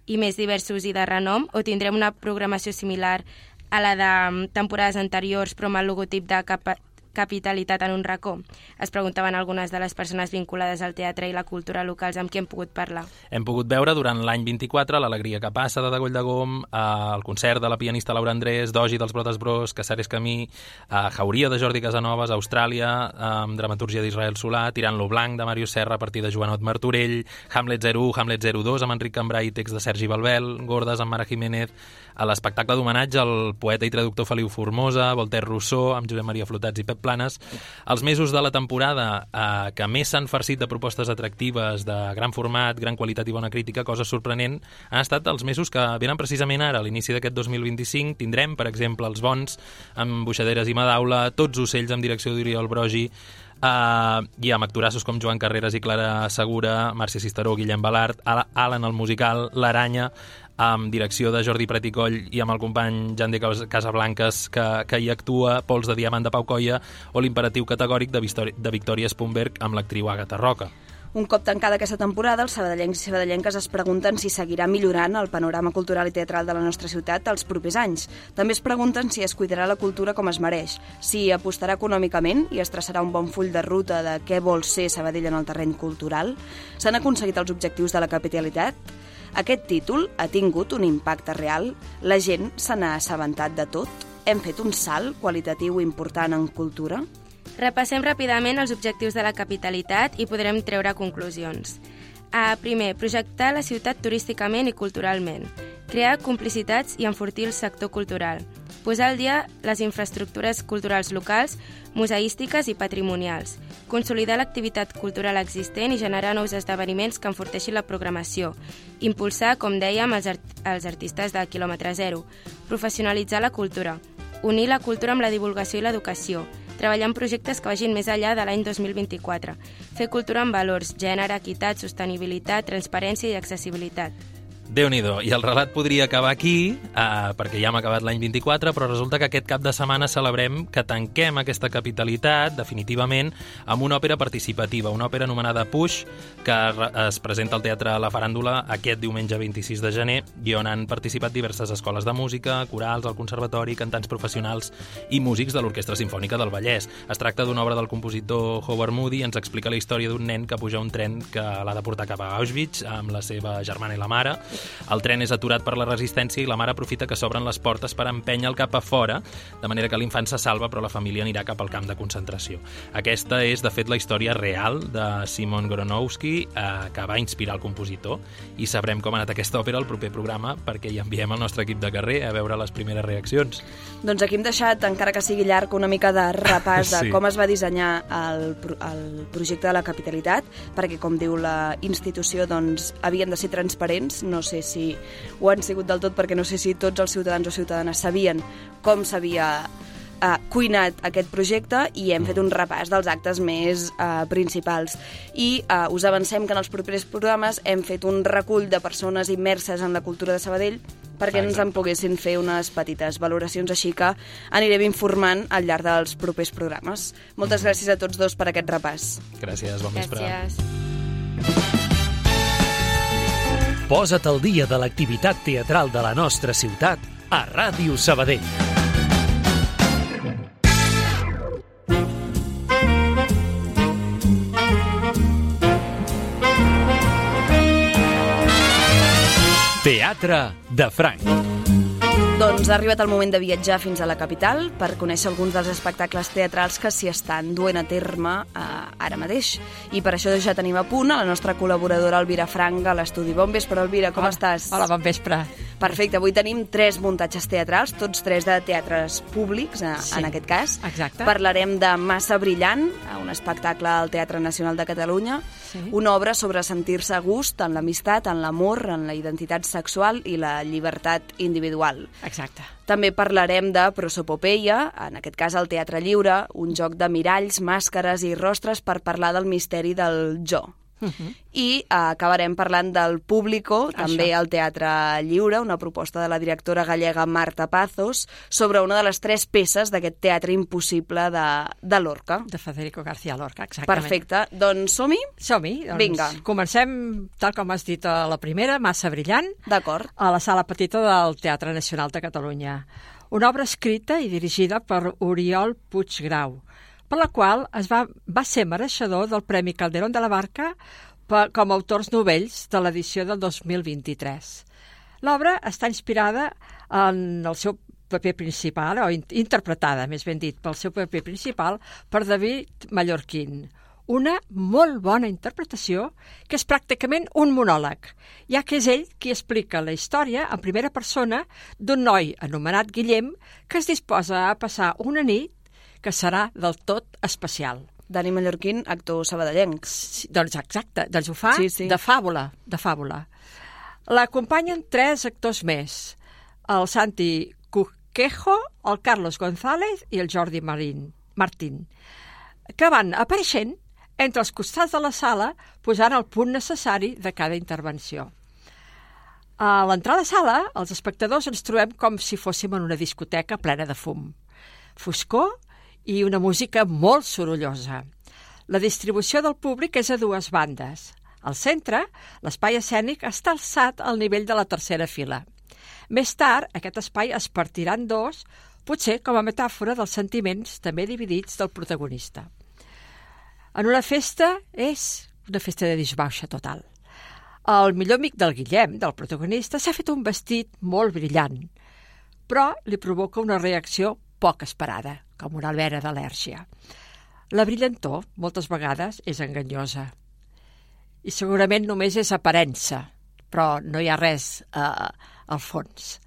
[SPEAKER 3] i més diversos i de renom, o tindrem una programació similar a la de temporades anteriors però amb el logotip de capa capitalitat en un racó? Es preguntaven algunes de les persones vinculades al teatre i la cultura locals amb qui hem pogut parlar.
[SPEAKER 13] Hem pogut veure durant l'any vint-i-quatre l'Alegria que passa de Degoll de Gom, el concert de la pianista Laura Andrés, Dogi dels Brotes Bros, Casares Camí, Jauria de Jordi Casanovas, Austràlia, amb dramatúrgia d'Israel Solà, Tirant lo Blanc de Màrius Serra a partir de Joanot Martorell, Hamlet zero u, Hamlet zero dos amb Enric Cambrai i text de Sergi Balbel, Gordes amb Mara Jiménez, a l'espectacle d'homenatge al poeta i traductor Feliu Formosa, Voltaire Rousseau, amb Josep Maria Flotats i Pep Planes. Els mesos de la temporada eh, que més s'han farcit de propostes atractives, de gran format, gran qualitat i bona crítica, cosa sorprenent, han estat els mesos que venen precisament ara, a l'inici d'aquest dos mil vint-i-cinc. Tindrem, per exemple, Els Bons, amb Buixaderes i Madaula, Tots ocells, amb direcció d'Oriol Brogi, Uh, i amb actorassos com Joan Carreras i Clara Segura, Màrcia Cisteró, Guillem Balart, Alan el musical, L'Aranya, amb direcció de Jordi Preticoll i amb el company Jan de Casablanques que, que hi actua, Pols de Diamant de Pau Coia o l'imperatiu categòric de, Victòria, de Victòria Spumberg amb l'actriu Àgata Roca.
[SPEAKER 1] Un cop tancada aquesta temporada, els sabadellencs i sabadellenques es pregunten si seguirà millorant el panorama cultural i teatral de la nostra ciutat els propers anys. També es pregunten si es cuidarà la cultura com es mereix, si apostarà econòmicament i es traçarà un bon full de ruta de què vol ser Sabadell en el terreny cultural. S'han aconseguit els objectius de la capitalitat? Aquest títol ha tingut un impacte real? La gent se n'ha assabentat de tot? Hem fet un salt qualitatiu important en cultura?
[SPEAKER 3] Repassem ràpidament els objectius de la capitalitat i podrem treure conclusions. A, primer, projectar la ciutat turísticament i culturalment. Crear complicitats i enfortir el sector cultural. Posar al dia les infraestructures culturals locals, museístiques i patrimonials. Consolidar l'activitat cultural existent i generar nous esdeveniments que enforteixin la programació. Impulsar, com dèiem, els, art els artistes de quilòmetre zero. Professionalitzar la cultura. Unir la cultura amb la divulgació i l'educació. Treballar en projectes que vagin més enllà de l'any dos mil vint-i-quatre. Fer cultura amb valors, gènere, equitat, sostenibilitat, transparència i accessibilitat.
[SPEAKER 13] Déu-n'hi-do, i el relat podria acabar aquí, eh, perquè ja hem acabat l'any vint-i-quatre, però resulta que aquest cap de setmana celebrem que tanquem aquesta capitalitat, definitivament, amb una òpera participativa, una òpera anomenada Puix, que es presenta al Teatre La Faràndula aquest diumenge vint-i-sis de gener, i on han participat diverses escoles de música, corals, el conservatori, cantants professionals i músics de l'Orquestra Simfònica del Vallès. Es tracta d'una obra del compositor Howard Moody i ens explica la història d'un nen que puja un tren que l'ha de portar cap a Auschwitz amb la seva germana i la mare. El tren és aturat per la resistència i la mare aprofita que s'obren les portes per empènyer-lo cap a fora, de manera que l'infant se salva però la família anirà cap al camp de concentració. Aquesta és, de fet, la història real de Simon Gronowski, eh, que va inspirar el compositor, i sabrem com ha anat aquesta òpera al proper programa perquè hi enviem el nostre equip de carrer a veure les primeres reaccions.
[SPEAKER 1] Doncs aquí hem deixat, encara que sigui llarg, una mica de repàs de
[SPEAKER 13] Sí.
[SPEAKER 1] com es va dissenyar el, el projecte de la capitalitat, perquè, com diu la institució, doncs, havien de ser transparents. No sé si ho han sigut del tot, perquè no sé si tots els ciutadans o ciutadanes sabien com s'havia eh, cuinat aquest projecte, i hem fet un repàs dels actes més eh, principals. I eh, us avancem que en els propers programes hem fet un recull de persones immerses en la cultura de Sabadell perquè ens en poguessin fer unes petites valoracions, així que anirem informant al llarg dels propers programes. Moltes gràcies a tots dos per aquest repàs.
[SPEAKER 13] Gràcies, bon vespre.
[SPEAKER 3] Gràcies.
[SPEAKER 2] Posa't al dia de l'activitat teatral de la nostra ciutat a Ràdio Sabadell. Teatre de Franc.
[SPEAKER 1] Doncs ha arribat el moment de viatjar fins a la capital per conèixer alguns dels espectacles teatrals que s'hi estan duent a terme eh, ara mateix. I per això ja tenim a punt a la nostra col·laboradora Elvira Frank a l'estudi. Bon vespre, Elvira, com
[SPEAKER 14] Hola.
[SPEAKER 1] estàs?
[SPEAKER 14] Hola, bon vespre.
[SPEAKER 1] Perfecte, avui tenim tres muntatges teatrals, tots tres de teatres públics, eh,
[SPEAKER 14] Sí,
[SPEAKER 1] en aquest cas.
[SPEAKER 14] exacte.
[SPEAKER 1] Parlarem de Massa Brillant, un espectacle al Teatre Nacional de Catalunya,
[SPEAKER 14] Sí.
[SPEAKER 1] una obra sobre sentir-se a gust en l'amistat, en l'amor, en la identitat sexual i la llibertat individual.
[SPEAKER 14] Exacte.
[SPEAKER 1] També parlarem de Prosopopeia, en aquest cas al Teatre Lliure, un joc de miralls, màscares i rostres per parlar del misteri del jo. Uh-huh. I uh, acabarem parlant del Público, també
[SPEAKER 14] Això.
[SPEAKER 1] al Teatre Lliure, una proposta de la directora gallega Marta Pazos sobre una de les tres peces d'aquest teatre impossible de, de Lorca.
[SPEAKER 14] De Federico García Lorca, exactament.
[SPEAKER 1] Perfecte. Doncs som-hi?
[SPEAKER 14] Som-hi. Doncs
[SPEAKER 1] Vinga.
[SPEAKER 14] Comencem, tal com has dit a la primera, Massa brillant.
[SPEAKER 1] D'acord.
[SPEAKER 14] A la Sala Petita del Teatre Nacional de Catalunya. Una obra escrita i dirigida per Oriol Puiggrau, per la qual es va, va ser mereixedor del Premi Calderón de la Barca per, com a autors novells de l'edició del dos mil vint-i-tres. L'obra està inspirada en el seu paper principal, o in, interpretada, més ben dit, pel seu paper principal, per David Mallorquín. Una molt bona interpretació que és pràcticament un monòleg, ja que és ell qui explica la història en primera persona d'un noi anomenat Guillem que es disposa a passar una nit que serà del tot especial.
[SPEAKER 1] Dani Mallorquín, actor sabadellenc.
[SPEAKER 14] Sí, doncs exacte, doncs ho fa
[SPEAKER 1] sí, sí.
[SPEAKER 14] de fàbula, de fàbula. L'acompanyen tres actors més, el Santi Cuquejo, el Carlos González i el Jordi Marín, Martín, que van apareixent entre els costats de la sala posant el punt necessari de cada intervenció. A l'entrada a la sala, els espectadors ens trobem com si fóssim en una discoteca plena de fum, foscor i una música molt sorollosa. La distribució del públic és a dues bandes. Al centre, l'espai escènic està alçat al nivell de la tercera fila. Més tard, aquest espai es partirà en dos, potser com a metàfora dels sentiments també dividits del protagonista. En una festa és una festa de disbauxa total. El millor amic del Guillem, del protagonista, s'ha fet un vestit molt brillant, però li provoca una reacció poc esperada, com una alvera d'al·lèrgia. La brillantor, moltes vegades, és enganyosa. I segurament només és aparença, però no hi ha res eh, al fons.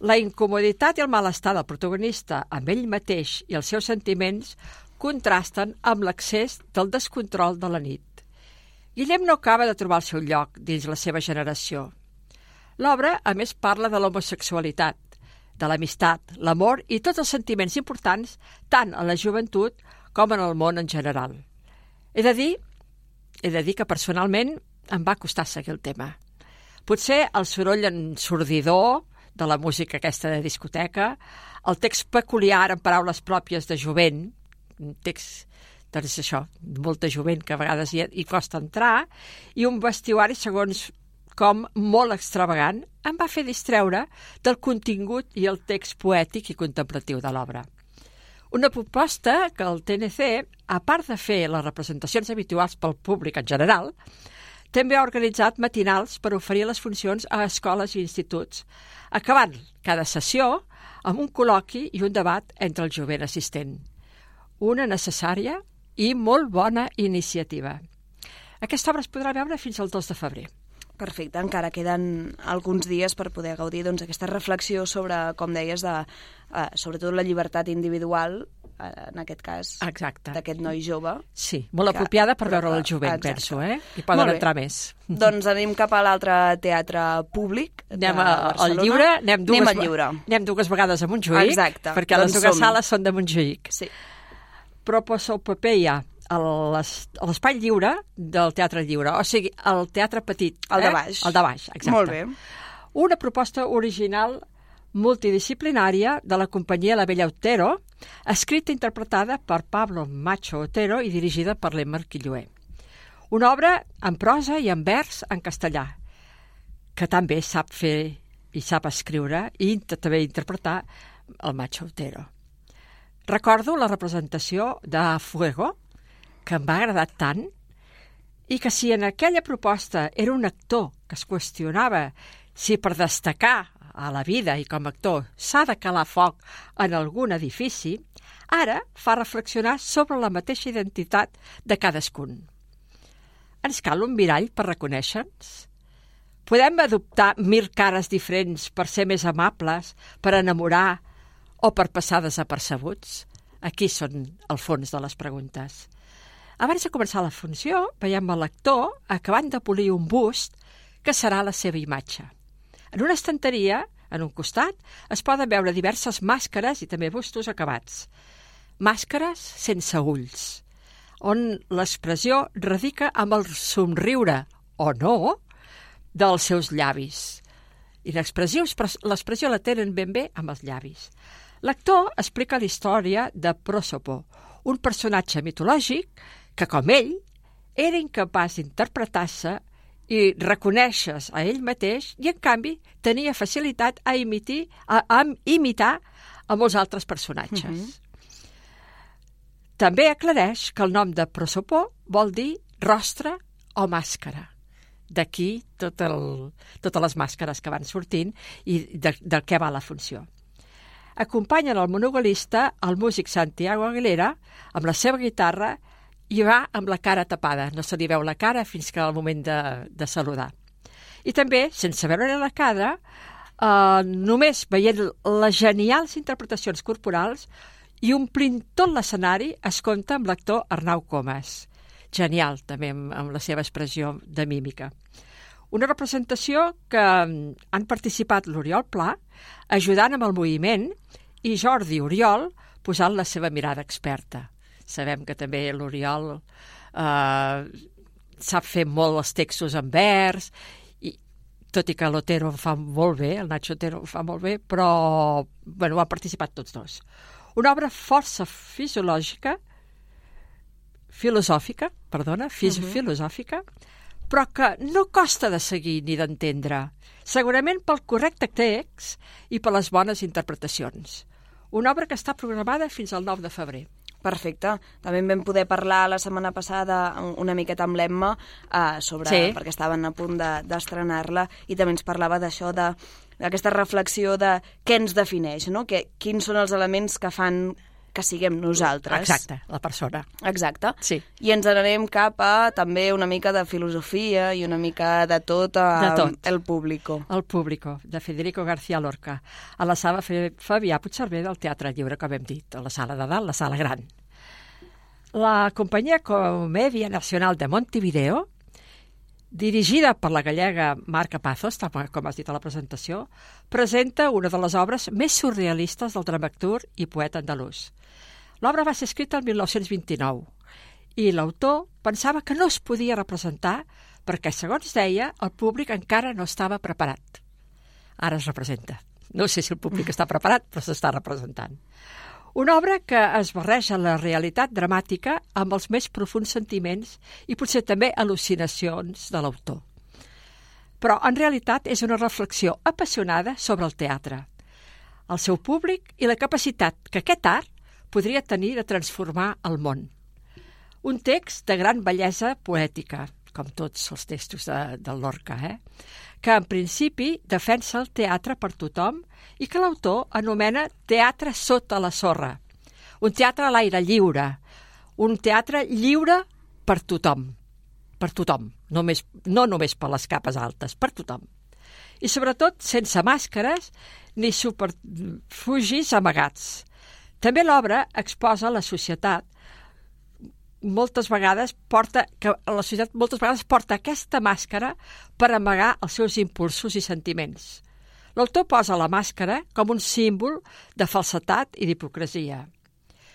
[SPEAKER 14] La incomoditat i el malestar del protagonista amb ell mateix i els seus sentiments contrasten amb l'accés del descontrol de la nit. Guillem no acaba de trobar el seu lloc dins la seva generació. L'obra, a més, parla de l'homosexualitat, de l'amistat, l'amor i tots els sentiments importants tant en la joventut com en el món en general. He de dir, he de dir que personalment em va costar seguir el tema. Potser el soroll ensordidor de la música aquesta de discoteca, el text peculiar en paraules pròpies de jovent, un text, doncs això, molta jovent que a vegades hi, hi costa entrar, i un vestuari, segons com molt extravagant, em va fer distreure del contingut i el text poètic i contemplatiu de l'obra. Una proposta que el T N C, a part de fer les representacions habituals pel públic en general, també ha organitzat matinals per oferir les funcions a escoles i instituts, acabant cada sessió amb un col·loqui i un debat entre el jovent assistent. Una necessària i molt bona iniciativa. Aquesta obra es podrà veure fins al dos de febrer.
[SPEAKER 1] Perfecte, encara queden alguns dies per poder gaudir doncs, aquesta reflexió sobre, com deies, de, uh, sobretot la llibertat individual, uh, en aquest cas, d'aquest noi jove.
[SPEAKER 14] Sí, molt que, apropiada per veure el jovent, exacte. Penso, eh? Hi poden entrar més.
[SPEAKER 1] Doncs anem cap a l'altre teatre públic de
[SPEAKER 14] anem a,
[SPEAKER 1] Barcelona.
[SPEAKER 14] Al Lliure, anem dues,
[SPEAKER 1] anem al Lliure.
[SPEAKER 14] Anem dues vegades a Montjuïc,
[SPEAKER 1] exacte.
[SPEAKER 14] Perquè
[SPEAKER 1] doncs
[SPEAKER 14] les dues
[SPEAKER 1] som.
[SPEAKER 14] sales són de Montjuïc.
[SPEAKER 1] Sí.
[SPEAKER 14] Proposopopeia a l'espai lliure del Teatre Lliure, o sigui, el Teatre Petit.
[SPEAKER 1] El
[SPEAKER 14] eh?
[SPEAKER 1] de baix.
[SPEAKER 14] El de baix, exacte.
[SPEAKER 1] Molt bé.
[SPEAKER 14] Una proposta original multidisciplinària de la companyia La Bella Otero, escrita i interpretada per Pablo Macho Otero i dirigida per l'Emmer Quilloé. Una obra en prosa i en vers en castellà, que també sap fer i sap escriure i també interpretar el Macho Otero. Recordo la representació de Fuego, que em va agradar tant, i que si en aquella proposta era un actor que es qüestionava si per destacar a la vida i com a actor s'ha de calar foc en algun edifici, ara fa reflexionar sobre la mateixa identitat de cadascun. Ens cal un mirall per reconèixer-nos? Podem adoptar mil cares diferents per ser més amables, per enamorar o per passar desapercebuts? Aquí són el fons de les preguntes. Abans de començar la funció, veiem l'actor acabant de polir un bust que serà la seva imatge. En una estanteria, en un costat, es poden veure diverses màscares i també bustos acabats. Màscares sense ulls, on l'expressió radica amb el somriure, o no, dels seus llavis. I l'expressió la tenen ben bé amb els llavis. L'actor explica la història de Prosopo, un personatge mitològic que, com ell, era incapaç d'interpretar-se i reconèixer-se a ell mateix i, en canvi, tenia facilitat a, imitir, a, a imitar a molts altres personatges. Mm-hmm. També aclareix que el nom de Prosopo vol dir rostre o màscara. D'aquí tot el, totes les màscares que van sortint i de, del què va la funció. Acompanyen el monogalista el músic Santiago Aguilera amb la seva guitarra i va amb la cara tapada. No se li veu la cara fins que al moment de, de saludar. I també, sense veure la cara, eh, només veient les genials interpretacions corporals i omplint tot l'escenari es compta amb l'actor Arnau Comas. Genial, també, amb, amb la seva expressió de mímica. Una representació que han participat l'Oriol Pla, ajudant amb el moviment, i Jordi Oriol posant la seva mirada experta. Sabem que també l'Oriol eh, sap fer molt els textos en vers, i, tot i que l'Otero ho fa molt bé, el Nacho Otero ho fa molt bé, però bueno, han participat tots dos. Una obra força fisiològica, filosòfica, perdona, fis uh-huh. filosòfica, però que no costa de seguir ni d'entendre, segurament pel correcte text i per les bones interpretacions. Una obra que està programada fins al nou de febrer.
[SPEAKER 1] Perfecte. També en vam poder parlar la setmana passada una miqueta amb l'Emma eh, sobre, sí. perquè estaven a punt de, d'estrenar-la, i també ens parlava d'això, de, d'aquesta reflexió de què ens defineix, no? Que, quins són els elements que fan que siguem nosaltres.
[SPEAKER 14] Exacte, la persona.
[SPEAKER 1] Exacte.
[SPEAKER 14] Sí.
[SPEAKER 1] I ens n'anem cap a també una mica de filosofia i una mica de tot, a,
[SPEAKER 14] de tot.
[SPEAKER 1] El Público.
[SPEAKER 14] El Público, de Federico García Lorca, a la sala Fabià Puigcerver del Teatre Lliure, com hem dit, a la sala de dalt, la sala gran. La companyia Comèdia Nacional de Montevideo, dirigida per la gallega Marca Pazos, com has dit a la presentació, presenta una de les obres més surrealistes del dramaturg i poeta andalús. L'obra va ser escrita el mil nou-cents vint-i-nou i l'autor pensava que no es podia representar perquè, segons deia, el públic encara no estava preparat. Ara es representa. No sé si el públic està preparat, però s'està representant. Una obra que es barreja la realitat dramàtica amb els més profuns sentiments i potser també al·lucinacions de l'autor. Però, en realitat, és una reflexió apassionada sobre el teatre, el seu públic i la capacitat que aquest art podria tenir de transformar el món. Un text de gran bellesa poètica, com tots els textos de, de Lorca, eh? que en principi defensa el teatre per tothom i que l'autor anomena teatre sota la sorra, un teatre a l'aire lliure, un teatre lliure per tothom, per tothom, només, no només per les capes altes, per tothom. I sobretot sense màscares ni superfugis amagats. També l'obra exposa la societat moltes vegades porta, que la societat moltes vegades porta aquesta màscara per amagar els seus impulsos i sentiments. L'autor posa la màscara com un símbol de falsetat i d'hipocresia,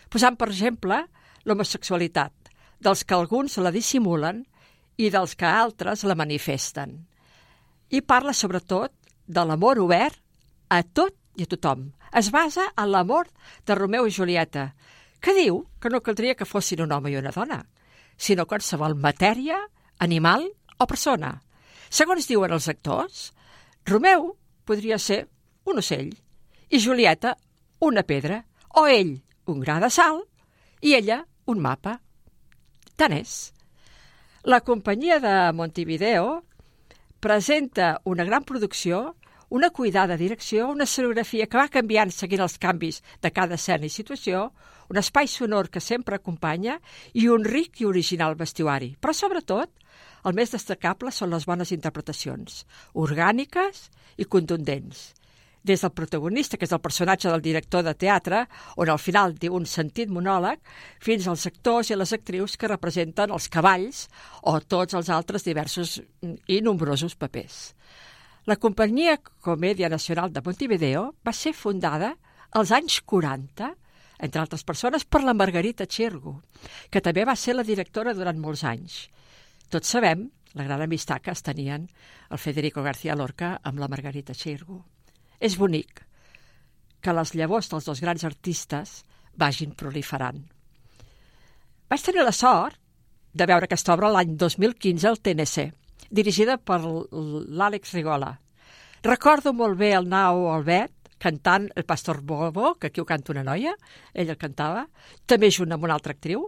[SPEAKER 14] posant, per exemple, l'homosexualitat, dels que alguns la dissimulen i dels que altres la manifesten. I parla, sobretot, de l'amor obert a tot i a tothom. Es basa en l'amor de Romeu i Julieta, que diu que no caldria que fossin un home i una dona, sinó qualsevol matèria, animal o persona. Segons diuen els actors, Romeu podria ser un ocell i Julieta una pedra, o ell un gra de sal i ella un mapa. Tant és. La companyia de Montevideo presenta una gran producció, una cuidada direcció, una escenografia que va canviant seguint els canvis de cada escena i situació, un espai sonor que sempre acompanya i un ric i original vestuari. Però, sobretot, el més destacable són les bones interpretacions, orgàniques i contundents. Des del protagonista, que és el personatge del director de teatre, on al final diu un sentit monòleg, fins als actors i les actrius que representen els cavalls o tots els altres diversos i nombrosos papers. La companyia Comèdia Nacional de Montevideo va ser fundada als anys quaranta entre altres persones, per la Margarita Xirgu, que també va ser la directora durant molts anys. Tots sabem la gran amistat que es tenien el Federico García Lorca amb la Margarita Xirgu. És bonic que les llavors dels dos grans artistes vagin proliferant. Vaig tenir la sort de veure aquesta obra l'any dos mil quinze al T N C, dirigida per l'Àlex Rigola. Recordo molt bé el Nao Albet cantant El Pastor Bobo, que aquí ho canta una noia, ell el cantava, també junt amb una altra actriu,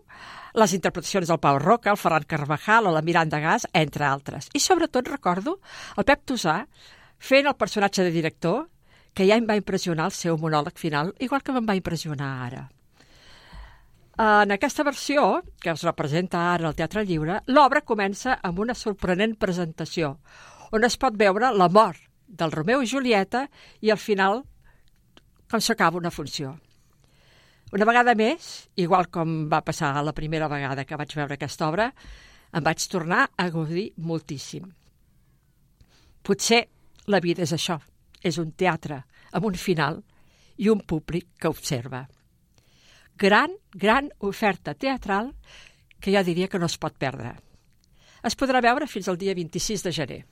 [SPEAKER 14] les interpretacions del Pau Roca, el Ferran Carvajal o la Miranda Gas, entre altres. I sobretot recordo el Pep Tosà fent el personatge de director, que ja em va impressionar el seu monòleg final, igual que me'n va impressionar ara. En aquesta versió, que es representa ara al Teatre Lliure, l'obra comença amb una sorprenent presentació, on es pot veure la mort del Romeu i Julieta i al final com s'acaba una funció. Una vegada més, igual com va passar la primera vegada que vaig veure aquesta obra, em vaig tornar a gaudir moltíssim. Potser la vida és això, és un teatre amb un final i un públic que observa. Gran, gran oferta teatral que jo diria que no es pot perdre. Es podrà veure fins al dia vint-i-sis de gener.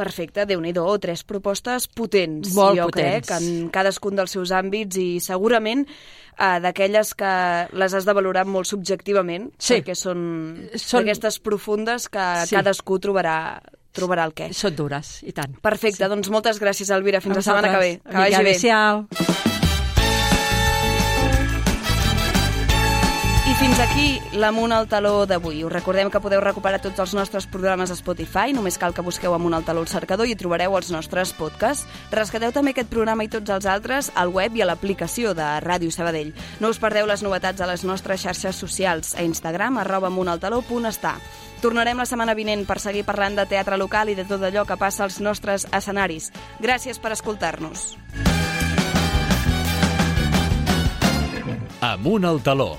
[SPEAKER 1] Perfecte, Déu-n'hi-do, tres propostes potents,
[SPEAKER 14] Molt
[SPEAKER 1] jo
[SPEAKER 14] potents.
[SPEAKER 1] crec, en cadascun dels seus àmbits i segurament eh, d'aquelles que les has de valorar molt subjectivament,
[SPEAKER 14] sí.
[SPEAKER 1] perquè són,
[SPEAKER 14] són
[SPEAKER 1] d'aquestes profundes que
[SPEAKER 14] sí.
[SPEAKER 1] cadascú trobarà, trobarà el què.
[SPEAKER 14] Són dures, i tant.
[SPEAKER 1] Perfecte, sí. Doncs moltes gràcies, Elvira. Fins
[SPEAKER 14] a
[SPEAKER 1] la setmana que ve. Que vagi bé.
[SPEAKER 14] Adéu-siau.
[SPEAKER 1] I fins aquí l'Amunt al Taló d'avui. Us recordem que podeu recuperar tots els nostres programes a Spotify, només cal que busqueu Amunt al Taló al cercador i trobareu els nostres podcasts. Rescateu també aquest programa i tots els altres al web i a l'aplicació de Ràdio Sabadell. No us perdeu les novetats a les nostres xarxes socials, a Instagram, arroba amuntaltaló punt està. Tornarem la setmana vinent per seguir parlant de teatre local i de tot allò que passa als nostres escenaris. Gràcies per escoltar-nos.
[SPEAKER 2] Amunt al Taló.